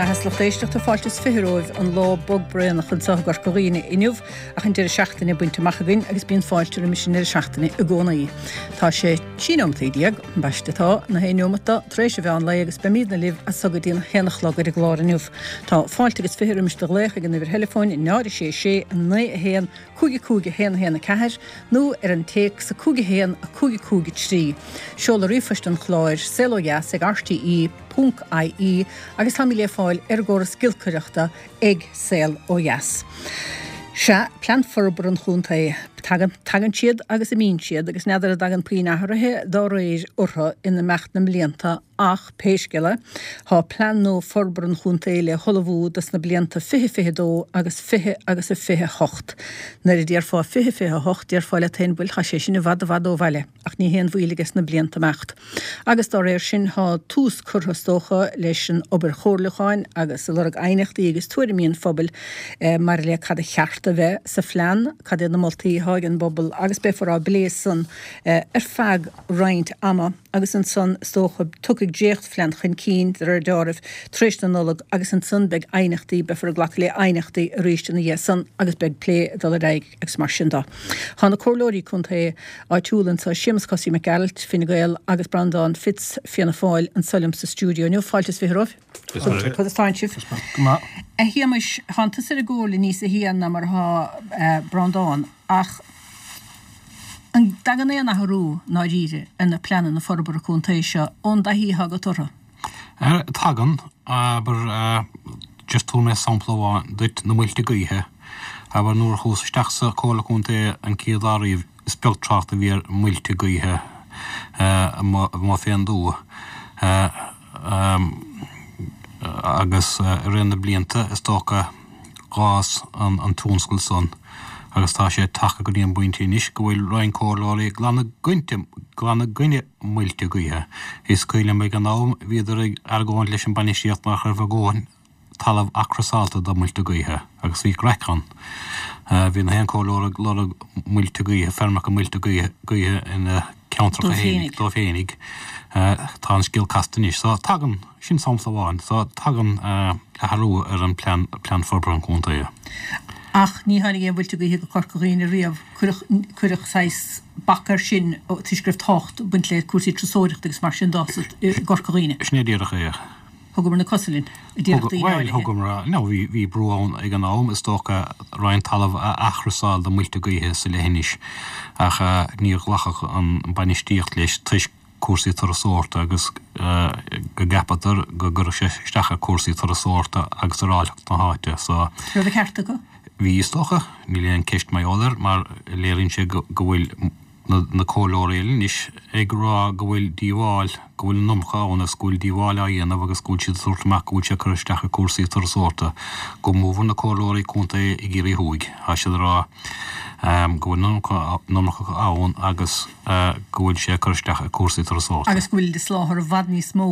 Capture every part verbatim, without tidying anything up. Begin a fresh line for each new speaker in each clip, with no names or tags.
mbeatha is lucht éisteachta fáilte is fiche romhaibh an lá bog braonach anseo i gCorca Dhuibhne inniu ach an deireadh seachtaine bainte amach againn agus bíonn fáilte roimis an deireadh seachtaine i gcónaí. Tá sé trí nóimeataí déag, ambaiste atá, na haon neomat do, tar éis an mheán lae agus beimidne libh as so go dtí an haon a chlog ar an gclár inniu. Tá fáilte agus fiche roimis do ghlaoch ag an uimhir theileafóin náid a sé sé naoi a haon cúig a cúig a haon a haon a ceathair nó ar an téacs a cúig a haon a cúig a cúig a trí. Seoladh ríomhphoist an chláir saol ó dheas ag rte ponc ie agus táimid le fáil ar an gcóras giolcaireachta ag Saol Ó Dheas. Sea, Plean Forbartha an Chontae. Tagann, tagann siad agus imíonn siad agus n'fheadar an dtagann puinn athraithe dá réir orthu in imeacht na mblianta ach pé scéal é, tá plean nua forbartha an chontae le hullmhú dos na blianta fiche fiche dó agus fiche agus a fiche hocht. Nuair a déarfá fiche fiche hocht déarfá leat féin bhuel tá sé sin i bhfad i bhfad ó bhaile. Ach ní haon mhoill aige sna blianta imeacht. Agus dá réir sin tá tús curtha is dócha leis an obair chomhairliúcháin agus ag lorg aighneachtaí agus tuairimí an phobail maidir le cad a cheart a bheith sa phlean, cad iad na moltaí atá ag an bpobal agus beifear á bplé san ar feadh roinnt ama agus ansan is dócha tiocfaidh dréachtphlean chun cinn de réir dealraimh tar éis na Nollag agus ansan beidh aighneachtaí, beifear ag glacadh le aighneachtaí arís ina dhiaidh san agus beidh plé ag dul ar aghaidh agus mar sin de. Tá na comhairleoirí contae áitiúla anseo, Séamus Cosaí Mac Gearailt, Fine Gael, agus Breandán Fitz, Fianna Fáil, anseo liom sa stiúideo inniu. Fáilte is fiche romhaibh. Conas tánn sibh?
Go maith.
A Shéamais, tánn tusa ar an gcomhairle níos sia ná mar atá Breandán, ach an dtagann aon athrú ndáiríre ar na pleananna forbartha contae seo ón dtaithí atá agat orthu?
Tagann, abair, just tabharfaidh mé sampla amháin duit, na muilte gaoithe. Abair, nuair a chuas isteach sa Chomhairle Contae an chéad lá riamh, is beag trácht a bhí ar mhuilte gaoithe amuigh fén dtuath. Agus i rith na blianta, is dócha, dh'fhás an tionscal san agus tá sé tagtha go dtí an bpointe anois go bhfuil roinnt comhairleoirí glan i glan i gcoinne muilte gaoithe. Is cuimhin liom ag an am, bhíodar ag argóint leis an bainistíocht nach raibh a dhóthain talamh athchrosálta do muilte gaoithe agus bhí craic ann. Bhí na haon comhairleoir ag lorg muilte gaoithe, feirmeacha muilte gaoithe, gaoithe ina ceantracha féinig, dóibh féinig. Tá an scéal casta anois. So tagann, sin sampla amháin, so tagann athrú ar an plean, plean forbartha an chontae.
Ach ní tháinig aon mhuilte gaoithe go Corca Dhuibhne riamh. Cuireadh, cuireadh saghas bac air sin toisc go raibh tábhacht ag baint le cúrsaí turasóireachta agus mar sin de i gCorca Dhuibhne.
Sin é díreach é.
Thugamar na cosa linn, a déarfadh daoine
Bhuel,
áirithe.
thugamar, no, bhí, bhí brú ann ag an am, is dócha, roinnt talamh a athchrosáil do muilte gaoithe sa leithinis, ach níor ghlacfadh an bainistíocht leis toisc cúrsaí turasóireachta agus go gceapadar go gcuirfeadh sé isteach ar cúrsaí turasóireachta agus ar áilleacht na háite, so.
Raibh an ceart acu?
Bhí, is dócha. Níl aon ceist mar gheall air, mar léiríonn sé go, go bhfuil na comhairleoirí eile anois ag rá go bhfuil díobháil, go bhfuil an iomarca ann agus go bhfuil díobháil á dhéanamh agus go bhfuil siad ag tabhairt amach go bhfuil sé ag cur isteach ar cúrsaí turasóireachta, go mórmhór na comhairleoirí contae i gCiarraí Thuaidh. Tá siad ag rá go bhfuil an iomarca ann agus go bhfuil sé ag cur isteach ar cúrsaí turasóireachta.
Agus go bhfuil ag soláthar i bhfad níos mó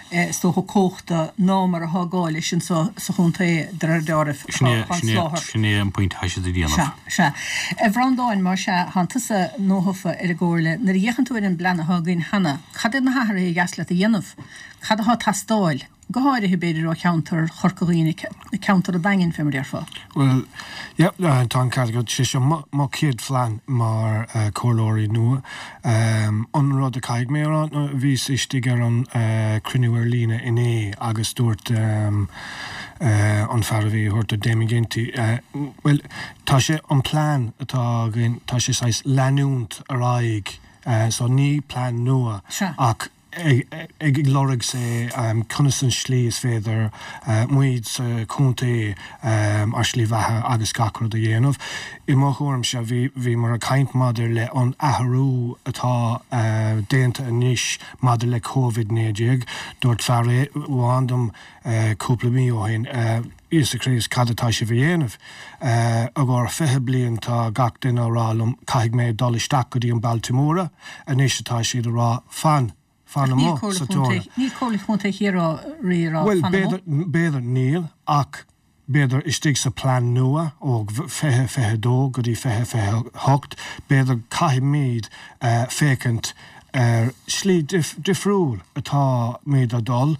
is dócha cumhachta ná mar atá gá leis anseo sa chontae de réir dealraimh.
Sin é, sin é, sin é an pointe atá siad a dhéanamh.
Sea, sea. A Bhreandáin, más ea, thánn tusa nuathofa ar an gcomhairle. Nuair a fhéachann tú ar an bplean atá againn cheana, cad iad na hathruithe a dheas leat a dhéanamh? Cad atá ag teastáil? Go háirithe, b'fhéidir, ó cheantar Chorca Dhuibhne, ceantar an Daingin, fé mar a déarfá.
Bhuel, yeah, tá an ceart agat. Sé seo mo, mo chéad phlean mar comhairleoirí nua. An rud a caithfidh mé a rá ná bhíos istigh ar an cruinniú ar líne inné agus dúirt an fear a bhí a thabhairt Damien Ginty, bhuel, tá sé, an plean atá againn, tá sé saghas leanúint ar aghaidh, so ní plean nua ach ag lorg say conas an slí is féidir muid sa chontae ár slí bheatha agus gach rud a dhéanamh. I mo thuairimse bhí bhíomar ag caint maidir le an athrú atá déanta anois maidir le Covid naoi déag. Dúirt fear amháin dom cúpla mí ó shin, Íosa Críost cad atá sibh a dhéanamh? I gcomhair fiche bliain tá gach duine á rá liom caithfidh mé dul isteach go dtí an bailte móra, anois atá siad a rá fan, fan
Ach níl
amuigh
Comhairle
sa
Chontae,
teora.
níl Comhairle Chontae Chiarraí ag rá
Bhuel,
fan amuigh.
b'fhéidir, b'fhéidir níl, ach b'fhéidir istigh sa plean nua ó fiche fiche dó go dtí fiche fiche hocht, b'fhéidir caithfimid féachaint Ar shlí difriúil atáimid a dul.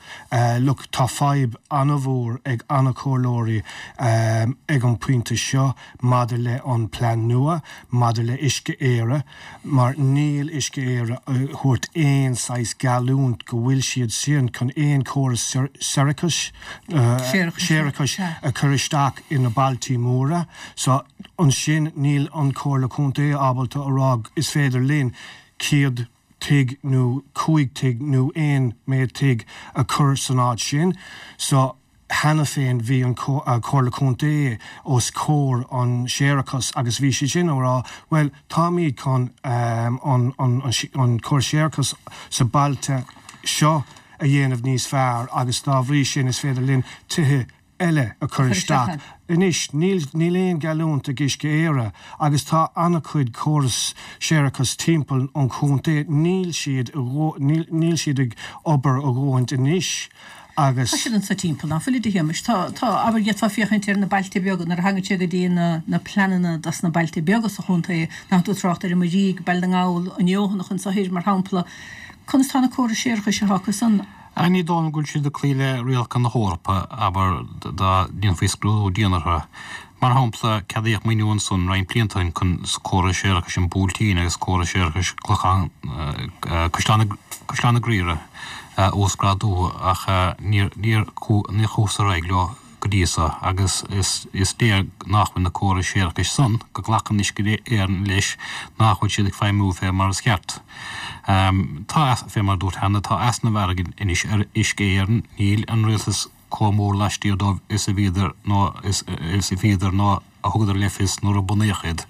Look, tá fadhb an-mhór ag an-chomhairleoirí ag an pointe seo maidir le an plean nua, maidir le Uisce Éireann, mar níl Uisce Éireann ag thabhairt aon saghas geallúint go bhfuil siad sin chun aon córas séarachais séarachais a chur isteach ina bailtí móra. So ansin níl an Comhairle Contae ábalta a rá is féidir linn céad tigh nó cúig tigh nó aon méid tigh a chur san áit sin. So cheana féin bhí an Comhairle Contae os comhair an séarachas agus bhí siad sin á rá, well táimid chun um, an, an, an, an córas séarachas sa bailte seo a dhéanamh níos fearr agus dá bhrí sin is féidir linn tithe eile a chur isteach. Anois níl níl aon geallúint ag Uisce Éireann agus tá an-chuid córas séarachas timpeall an chontae níl siad níl siad ag obair a dhóthain anois agus
Tá siad anso timpeall ná fuil a Shéamais tá tá abair d'fhéadfá féachaint ar na bailte beaga nuair a thagann sé go dtí na na pleananna dos na bailte beaga sa chontae nach tú trácht ar an Muirígh, Baile na nGall, an Feothanach anso thoir mar shampla. Conas tá na córais séarachais atá acu san?
Ní dóigh liom go bhfuil siad ag cloí le rialacha na hEorpa, abair, dá ndéanfaí scrúdú dian orthu. Mar shampla, ceadaíodh maoiniú ansan roinnt blianta ó shin chun córas séarachais an Bhuailtín agus córas séarachais Clochán, Caisleán Caisleán na Graoire a uasghrádú ach níor níor níor chuathas ar aghaidh leo go dtí so agus is is léir nach bhfuil na córais séarachais san, go nglacann Uisce Éireann leis nach bhfuil siad ag feidhmiú fé mar is ceart. Tá, fé mar a dúirt cheana, tá easnamh airgid anois ar Uisce Éireann, níl an rialtas chomh mór laistiar dóibh is a bhíodar nó is is a bhíodar nó a thugadar le fios nuair a bunaíodh iad.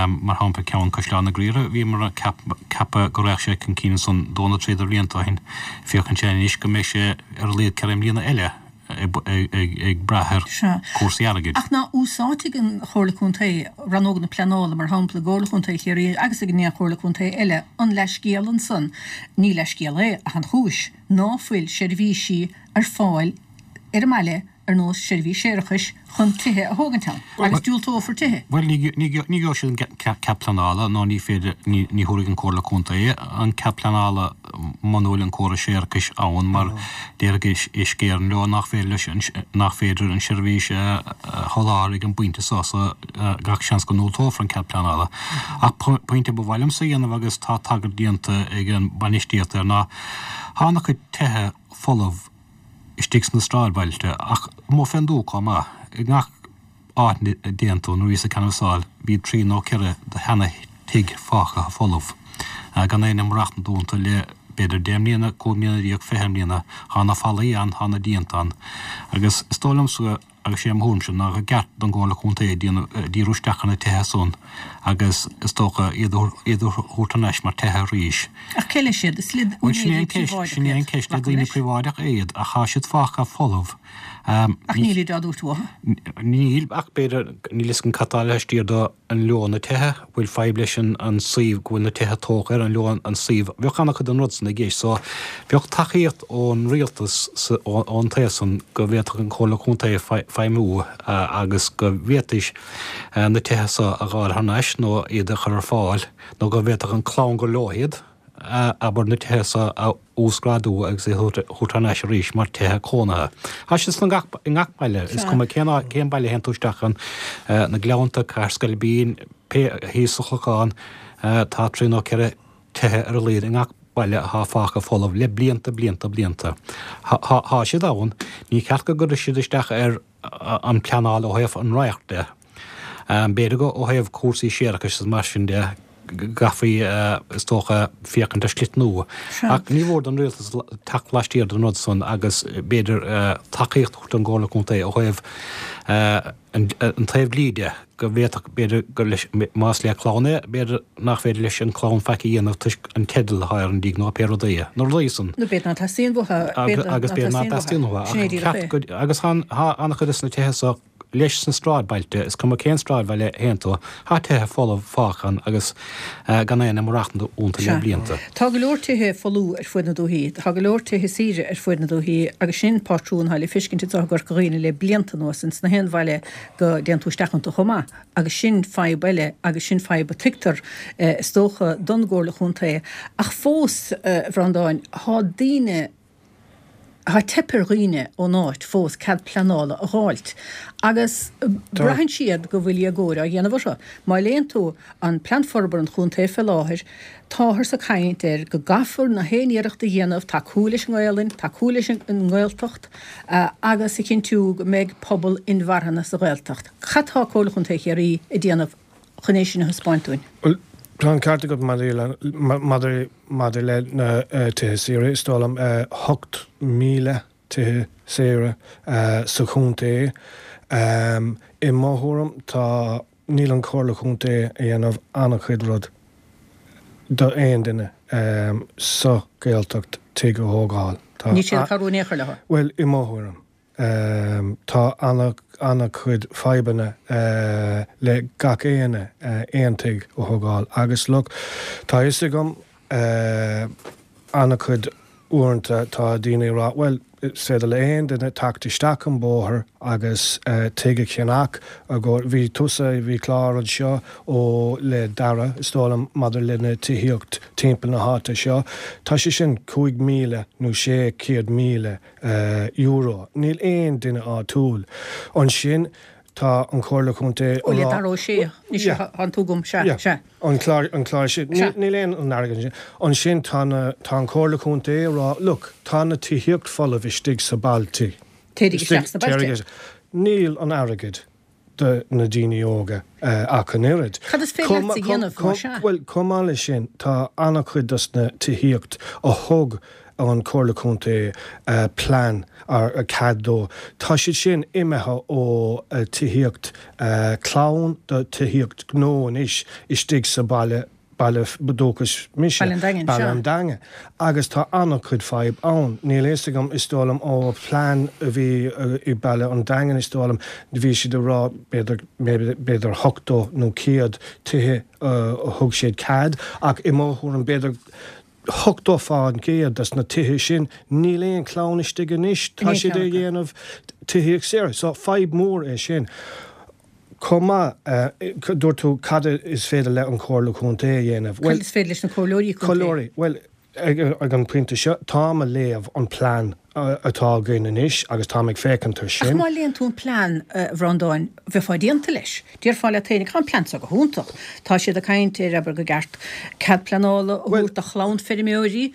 Mar shampla ceann Caisleán na Graoire, bhíomar ag ceapadh go raghadh sé chun cinn ansan dó nó trí de bhlianta ó shin, féachann sé anois go mbeidh sé ar a laghad ceithre mbliana eile ag brath ar chúrsaí airgid.
Ach ná úsáidfidh an Chomhairle Contae, Rannóg na Pleanála, mar shampla, i gComhairle Chontae Chiarraí agus ag an aon Chomhairle Contae eile, an leithscéal ansan, ní leithscéal é ach an chúis, ná fuil seirbhísí ar fáil ar an mbaile ar nós seirbhís séarachais chun tithe a thógaint ann, agus diúltófar tithe.
Bhuel, ní gheobhaidh siad an cead pleanála nó ní féidir, ní thabharfaidh an Chomhairle Contae an cead pleanála muna bhfuil an córas séarachais ann mar déarfaidh Uisce Éireann leo nach féidir leis, nach féidir an seirbhís a sholáthar ag an bpointe seo so gach seans go ndiúltófar an cead pleanála. Ach pointe ba mhaith liomsa a dhéanamh agus tá tagairt déanta ag an bainistíocht air ná tá an-chuid tithe folamh istigh sna sráidbhailte, ach amuigh fén dtuath chomh maith. I ngach áit a dtéann tú, nuair a bhíos ag canbhasáil, bhí trí nó ceithre de sheana thigh fágtha folamh, gan éinne ag maireachtaint iontu le b'fhéidir deich mbliana, cúig mbliana déag, fiche mbliana. Thá na fallaí ann, thá na díonta ann. Agus is dóigh liomsa agus sé mo thuairimse ná gur ceart don gComhairle Contae díriú isteach ar na tithe san agus is dócha iad a iad a thabhairt thar n-ais mar tithe arís.
Ach cé leis iad? Is le
Bhuel sin é
úinéirí
an ceist,
príobháideach
sin é an
iad.
ceist, le
Glacaim
daoine
leis.
príobháideach iad ach tá siad fágtha folamh.
Ach
Ní
nílid á dtabhairt uathu.
Níl, ach b'fhéidir, níl fhios agam cad tá laistiar de an leo na tithe, bhfuil fadhb leis an an suíomh go bhfuil na tithe tógtha air, an leo an suíomh, bheadh an-chuid den rud san i gceist. So bheadh tacaíocht ón rialtas sa, ón taobh san go bhféadfadh an Chomhairle Contae feidhmiú agus go bhféadfaidís na tithe so a dh'fháil thar n-ais nó iad a chur ar fáil nó go bhféadfadh an clann gur leo iad, abair, na tithe so a uasghrádú agus iad a thabhairt thar n-ais arís mar tithe cónaithe. Tá siad san gach, i ngach baile, is cuma cén áit, cén baile a théann tú isteach ann, na Gleannta, Cathair Scoilbín, pé, thíos sa Chlochán, tá trí nó ceithre tithe ar a laghad i ngach baile atá fágtha folamh le blianta, blianta, blianta. Tá, tá siad ann, ní ceart go gcuirfidh siad isteach ar an pleanáil ó thaobh an radhairc de. B'fhéidir go ó thaobh cúrsaí séarachais is mar sin de, go gcaithfí, is dócha, féachaint ar shlite nua. Ach ní mhór don rialtas teacht laistiar den rud san agus b'fhéidir tacaíocht a thabhairt don gComhairle Contae ó thaobh an taobh dlí de, go bhféadfadh, b'fhéidir, gur leis, más le clann é, b'fhéidir nach féidir leis an chlann faic a dhéanamh toisc an teideal atá ar an dtigh nó pé rud é. Na rudaí san.
Nó b'fhéidir ná teastaíonn uathu, b'fhéidir
Agus
ná
b'fhéidir ná
teastaíonn
teastaíonn
uathu.
uathu.
Sin é
Ach
díreach
ceart
é.
go, agus tá, tá an-chuid de na tithe so Leis sna sráidbhailte, is cuma cén sráidbhaile a théann tú, tá tithe folamh fágtha ann agus gan éinne ag maireachtaint iontu le
Sea.
blianta.
Tá go leor tithe folamh ar fuaid na dúthaí. Tá go leor tithe saoire ar fuaid na dúthaí agus sin pátrún atá le feiscint anseo i gCorca Dhuibhne le blianta anuas ins na haon bhaile go dtéann tú isteach iontu chomh maith agus sin fadhb eile agus sin fadhb a tuigtear is dócha don gComhairle Chontae. Ach fós, a Bhreandáin, tá daoine, tá teip ar dhaoine ón áit fós cead pleanála a dh'fháilt agus braitheann siad go bhfuil éagóir á dhéanamh orthu. Má léann tú an Plean Forbartha an Chontae fé láthair, táthar ag caint air go gcaithfear na haon iarracht a dhéanamh tacú leis an nGaelainn, tacú leis an nGaeltacht agus a chinntiú go mbeidh pobal inmharthana sa Ghaeltacht. Cad tá Comhairle Chontae Chiarraí ag déanamh chun é sin a thaispeáint dúinn?
Bhuel, tá an ceart agat maidir le, maidir, maidir le na tithe saoire. Is dóigh liom ocht míle tithe saoire sa chontae. I mo thuairim, tá, níl an Chomhairle Chontae a dhéanamh an-chuid rud do aon duine sa Ghaeltacht tigh a thógáil. Tá.
Níl siad ag cabhrú in aon chor leo.
Bhuel, i mo thuairim. Tá an-chuid fadhbanna le gach éinne aon tigh a thógáil agus look, tá fhios agam an-chuid uaireanta tá daoine ag rá bhuel is féidir le aon duine teacht isteach an bóthar agus tigh a cheannach bhí tusa bhí clár anseo ó le Dara is dóigh liom maidir le na tithíocht timpeall na háite seo tá sé sin cúig míle nó sé chéad míle euro. Níl aon duine áitiúil ansin. Tá an Chomhairle Chontae
Ó, le Dara Ó Sé, anois tá tú agam, sea, sea.
An clár, an clár sin. Níl aon an airgead ansin. Ansin tá na, tá an Chomhairle Chontae ag rá, look, tá na tithíocht folamh istigh sa bailte.
Téirígí isteach sna bailte.
Níl an airgead. do na daoine óga ach an oiread.
Cad is féidir leat a dhéanamh más ea?
Bhuel, chomh maith leis sin, tá an-chuid dos na tithíocht a thug an Chomhairle Contae plean ar cead dó, tá siad sin imithe ó tithíocht clann do tithíocht gnó anois istigh sa baile baile dúchais mise,
Baile an Daingin,
Baile
sea.
an Daingin. Agus tá an-chuid fadhb ann. Níl a fhios agam, is dóigh liom, ó phlean a bhí i Baile an Daingin, is dóigh liom, bhí siad ag rá b'fhéidir, b'fhéidir ochtó nó céad tithe a thug siad cead, ach i mo thuairim, b'fhéidir ochtó fán gcéad des na tithe sin, níl aon chlann istigh anois, tá siad ag dhéanamh tithíocht saoire. So fadhb mhór é sin. Chomh maith, dúirt tú cad is féidir le an Chomhairle Contae a dhéanamh.
Cad is féidir leis na comhairleoirí contae?
Comhairleoirí, bhuel, ag an pointe seo, táim a léamh an plean atá againn anois agus táim ag féachaint ar
Ach
sin.
má léann tú an plean, a Bhreandáin, bheifeá déanta leis. Déarfá leat féin, tá an plean seo go hiontach. Tá siad ag caint ar, abair, go gceart cead pleanála a thabhairt do chlann feirmeoirí,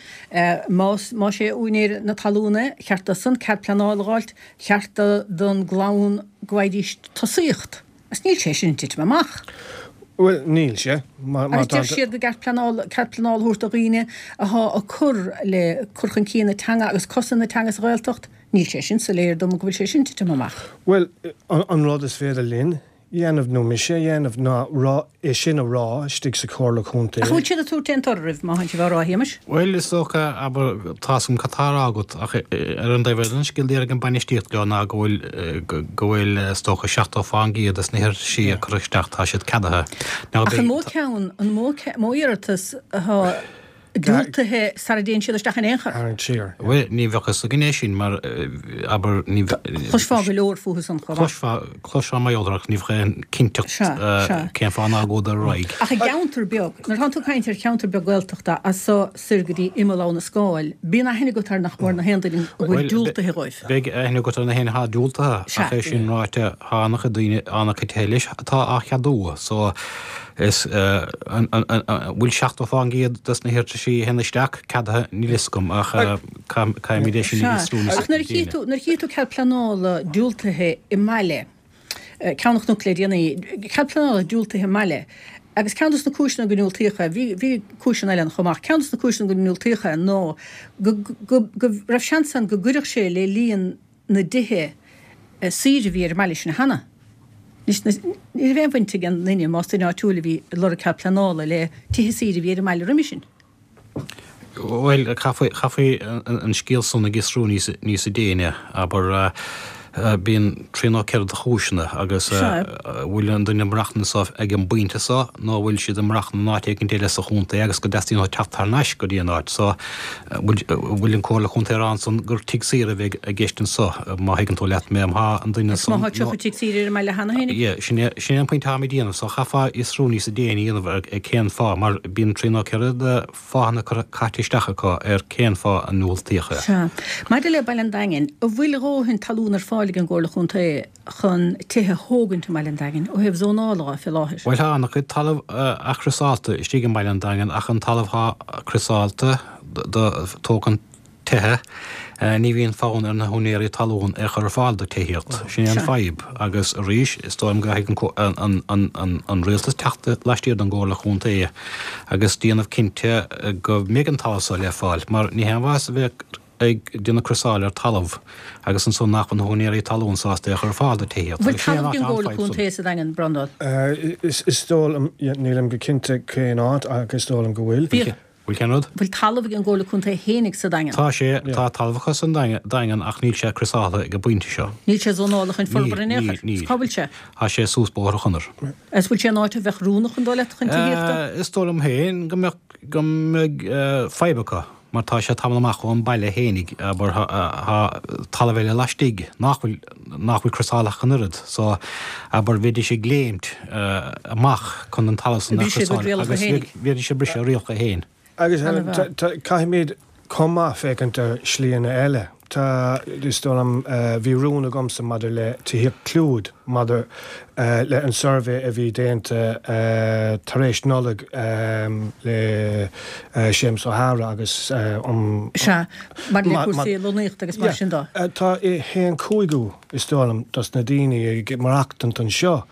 más, más é úinéir na talún é, cheart dósan cead pleanála a dh'fháilt, cheart don gclann go bhfaighidís tosaíocht. Agus níl sé sin ag titim amach.
Bhuel, níl sé.
Agus deir siad go gceart pleanáil, cead pleanála a thabhairt do dhaoine athá ag cur le cur chun cinn na teanga agus cosaint na teanga sa Ghaeltacht. Níl sé sin soiléir dom go bhfuil sé sin ag titim amach.
Bhuel, an rud is féidir linn dhéanamh, nó mise a dhéanamh, ná rá, é sin a rá istigh sa Chomhairle Contae.
Ach an bhfuil siad ag tabhairt aon toradh oraibh, má tánn sibh á rá, a Shéamais?
Bhuel, is dócha, abair, tá's agam cad tá á rá agat, ach ar an dtaobh eile den scéal, déarfaidh an bainistíocht leo ná go bhfuil, go bhfuil, is dócha, seachtó fán gcéad des na hiarrataisí a cuireadh isteach, tá siad ceadaithe.
Now, Ach an mó ceann, an mó, mó iarratas atá diúltaithe sara dtéann siad isteach in aon chor.
Tharraingt siar.
Bhuel, ní bheadh fhios againn é sin mar, abair, ní bheadh.
Chloisfeá go leor fúthu san chomh maith.
Chloisfeá, chloisfeá mar gheall air ach ní bheadh aon cinnteacht cén fáth nár ghabhadar ar aghaidh.
Ach i gceantar beag, nuair atánn tú ag caint ar cheantar beag Gaeltachta as so soir go dtí imeall Abha na Scáil, bíonn aithne agat ar nach mór na haon duine a bhfuil diúltaithe dhóibh.
Beidh aithne agat ar na haon atá diúltaithe, ach é sin ráite, tá an-chuid daoine, an-chuid tithe leis atá á cheadú, so Is an bhfuil seachtó fán gcéad des na hiarrataisí a théann isteach ceadaithe? Níl fhios agam ach caithfimid é sin a fhiosrú níos
Ach nuair a
déine.
tchí tú, nuair a tchí tú cead pleanála diúltaithe i mbaile, Ceann an Chnoic le déanaí, cead pleanála diúltaithe i mbaile, agus ceann des na cúiseanna go ndiúltaíodh é, bhí, bhí cúiseanna eile ann chomh maith, ceann des na cúiseanna go ndiúltaíodh é ná go, go, go raibh seans ann go gcuirfeadh sé le líon na dtithe saoire a bhí ar an mbaile sin cheana. Anois, ní raibh aon bhaint ag an nduine, más duine áitiúil a bhí ag lorg cead pleanála, le tithe saoire a bhí ar an mbaile roimhe sin.
Bhuel, chaithfí an scéal san a fhiosrú níos déine, abair. Bíonn trí nó ceithre de chúiseanna agus bhfuil an duine ag maireachtaint anso ag an bpointe so nó bhfuil siad ag maireachtaint in áit éicint eile sa chontae agus go dteastaíonn uathu teacht thar n-ais go dtí an áit so. Bhfuil an Comhairle Chontae ag rá ansan gur tigh saoire a bheidh i gceist anso, má thuigeann tú leat mé, má thá an duine san.
Má thá tríocha tigh saoire ar an mbaile cheana féin.
Yeah, sin é, sin é an pointe atáim ag déanamh so chaithfeá fiosrú níosa déine a dhéanamh ar cén fáth mar bíonn trí nó ceithre de fáthanna curtha caite isteach acu ar cén fáth a ndiúltaíodh é.
Sea. Maidir le Baile an Daingin, an bhfuil a dhóthain talún ar fáil ag an gComhairle Chontae chun tithe a thógaint i mBaile an Daingin, ó thaobh zónála dhe, fé láthair?
Bhuel, tá an-chuid talamh athchriosáilte istigh i mBaile an Daingin ach an talamh atá criosáilte do tógaint tithe, ní bhíonn fonn ar na húinéirí talún é a chur ar fáil do tithíocht. Sin é an fadhb. Agus arís, is dóigh liom go gcaithfidh an rialtas teacht laistiar den gComhairle Chontae agus déanamh cinnte go mbeidh an talamh seo le fáil, mar ní haon mhaitheas a bheith ag déanamh criosáil ar talamh agus ansan nach bhfuil na húinéirí talún sásta é a chur ar fáil do tithíocht.
Bhfuil talamh ag an gComhairle Contae sa Daingean, Breandán?
Is dóigh liom, nílim go cinnte cén áit ach is dóigh liom go bhfuil.
Bhfuil cén rud?
Bhfuil talamh ag an gComhairle Contae fhéinig sa Daingean?
Tá sé, tá talamh acu sa Daingean ach níl sé criosáltha ag an bpointe seo.
Níl sé zónáltha chun forbartha in aon chor?
Níl, níl.
Cá bhfuil sé?
Tá sé suas Bóthar an Chonair.
Is bhfuil sé in áit a bheadh oiriúnach an dóigh leat chun tithíochta?
Is dóigh liom féin go mbeadh, go mbeidh fadhb acu mar tá sé tamall amach ón baile fhéinig, abair, tá talamh eile laistigh nach bhfuil, nach bhfuil criosáltha ach an oiread so, abair, bheidís ag léimt amach chun an talamh san a chriosáil agus bheidís ag briseadh a rialacha féin.
Agus caithfimid chomh maith féachaint ar slíanna eile. Tá, is dóigh liom, bhí rún agamsa maidir le tithíocht clúid, maidir le an suirbhé a bhí déanta tar éis Nollag le Séamus O'Hara agus
um. Sea, maidir le cúrsaí lonnaíochta agus mar sin de.
Tá a haon cúigiú, is dóigh liom, dos na daoine ag maireachtaint anseo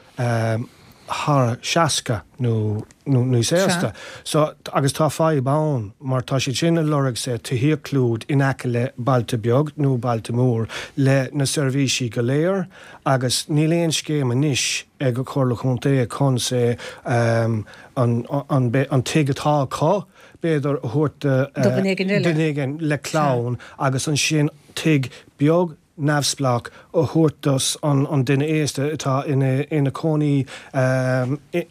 thar seasca nó níos aosta. So, agus tá fadhb ann mar tá siad sin ag lorg say tithíocht clúid in aice le bailte beag nó bailte mór le na seirbhísí go léir agus níl aon scéim anois ag an Chomhairle Chontae chun say an an an tigh atá acu b'fhéidir a thabhairt do
duine
éigin le clann agus ansin tigh beag neamhspleách a thabhairt dos an duine aosta atá ina cónaí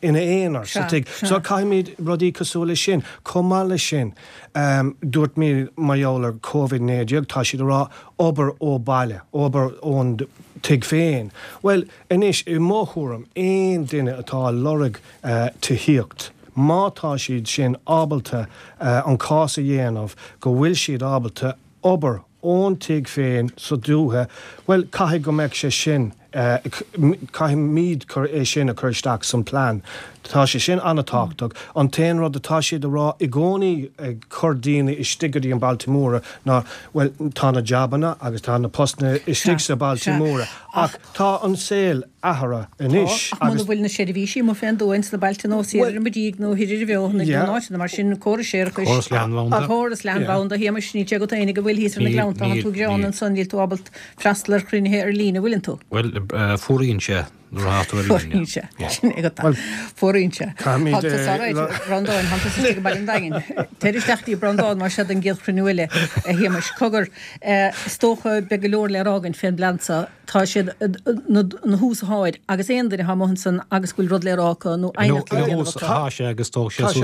ina aonar sa tigh. So caithfimid rudaí cosúil leis sin. Chomh maith leis sin, dúirt mé mar gheall ar Covid naoi déag, tá siad ag rá obair ó baile, obair ón tigh féin. Bhuel, anois, i mo thuairim, aon duine atá ag lorg tithíocht, má tá siad sin ábalta an cás a dhéanamh go bhfuil siad ábalta obair ón tigh féin sa dúiche, bhuel, caithfidh go mbeadh sé sin, caithfimid cur é sin a chur isteach san plean. Tá sé sin an-tábhachtach. An t-aon rud atá siad a rá i gcónaí ag cur daoine istigh go dtí an bailte móra ná, bhuel, tá na jabanna agus tá na postanna istigh sa bailte móra ach tá an saol athraithe anois
Tá, ach muna bhfuil na seirbhísí amuigh fén dtuath ins na bailte nó siar ar an Mhadaidh nó thoir ar an bhFeothanach nó in áiteanna mar sin, córas séarachais,
Córas leathanbhanda.
Córas leathanbhanda, a Shéamais, níl sé agat fhéinig an bhfuil thíos ar na Gleannta, tánn tú greanta ansan, níl tú ábalta freastal ar chruinnithe ar líne, an bhfuileann tú?
Bhuel, fuaraíonn sé nuair atá tú ar líne.
Fuaraíonn sé, sin é agat. Fuaraíonn sé.
Caithfimid
Tá tusa all right, Breandán, tá tusa istigh i mBaile an Daingin. Téir isteach dtí Breandán mar seo don gcéad chruinniú eile, a Shéamais. Cogar, is dócha beidh go leor le rá againn fén bplean seo. Tá siad ina thús atá air agus aon duine atá amuigh ansan agus go bhfuil rud le rá acu nó aighneacht le déanamh acu.
Tá sé agus tógfaidh sé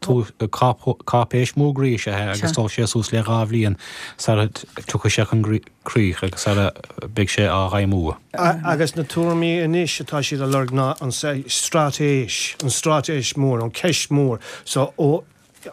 suas le cáipéis mhór is ea é agus tógfaidh sé suas le dhá bhliain sara dtiocfaidh sé chun críche agus sara mbeidh sé á fheidhmiú.
Agus na tuairimí anois atá siad a lorg ná an straitéis, an straitéis mhór, an ceist mhór so ó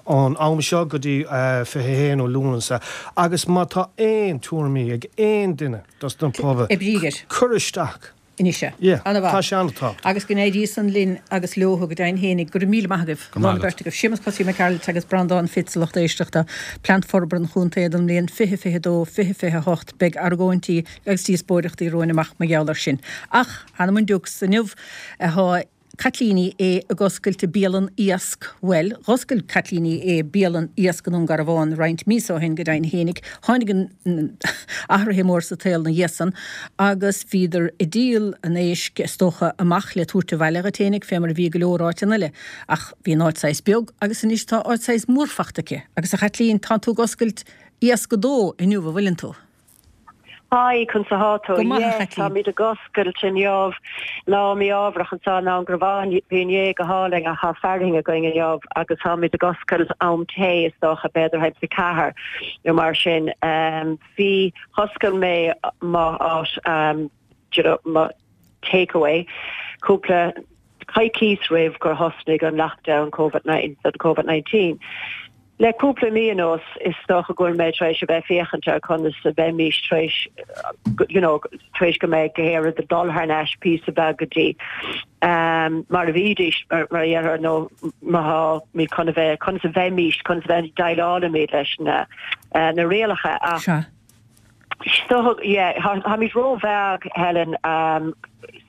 ón am seo go dtí fiche a haon ó Lúnasa agus má tá aon tuairimí ag aon duine dos na pobail, cuir isteach.
Anois é.
Yeah.
Ana-mhaith.
Tá sé an-tábhachtach.
Agus go n-éirí san linn agus leo go deimhin fhéinig. Go raibh míle maith agaibh.
Go raibh maith
agat. Beirt agaibh. Séamus Cosaí Mac Gearailt agus Breandán Fitz, a lucht éisteachta. Plean Forbartha an Chontae don mbliain fiche fiche dó, fiche fiche hocht. Beidh argóintí agus díospóireachtaí romhainn amach mar gheall air sin. Ach, th'anam 'on diucs, inniu atá Caitlín Ní Aodha ag oscailt a bialann iasc, bhuel, dh'oscail Caitlín Ní Aodha bialann iasc i nDún Garbhán roinnt míosa ó shin go deimhin fhéinig. Tháinig an athraithe mór sa tsaol 'na dhiaidh san agus bhíodar ag díol an éisc, is dócha, amach le tabhairt abhaile dhuit fhéinig, fé mar a bhí i go leor áiteanna eile. Ach bhí an áit saghas beag agus anois tá áit saghas mór fachta aici. Agus a Chaitlín, tánn tú ag oscailt Iasc a Dó inniu, an bhfuileann tú?
Hi, conas atá tú.
Go maith, a
Yes,
Chaitlín.
Táimid ag oscailt inniu lá mí-ámharach anseo i nDún Garbhán bhí inné go hálainn ach tá fearthainn againn inniu agus táimid ag oscailt am tae is dócha b'fhéidir thimpeall a ceathair nó mar sin. Um, bhí oscail mé mo áit um, you know, mo takeaway cúpla coicís roimh gur thosnaigh an lockdown COVID COVID nineteen. Le cúpla mí anuas is dócha go bhfuil mé tar éis a bheith féachaint ar conas a bheimís tar éis you know, tar éis go mbeidh gach rud ag dul thar n-ais píosa beag go dtí um, mar a bhídís mar mar a dhéarfá nó má mí chun a bheith conas a bheimís conas a bheith déileálaimid leis na uh, na rialacha ach
Sea.
So yeah, táimid róbheag Helen um,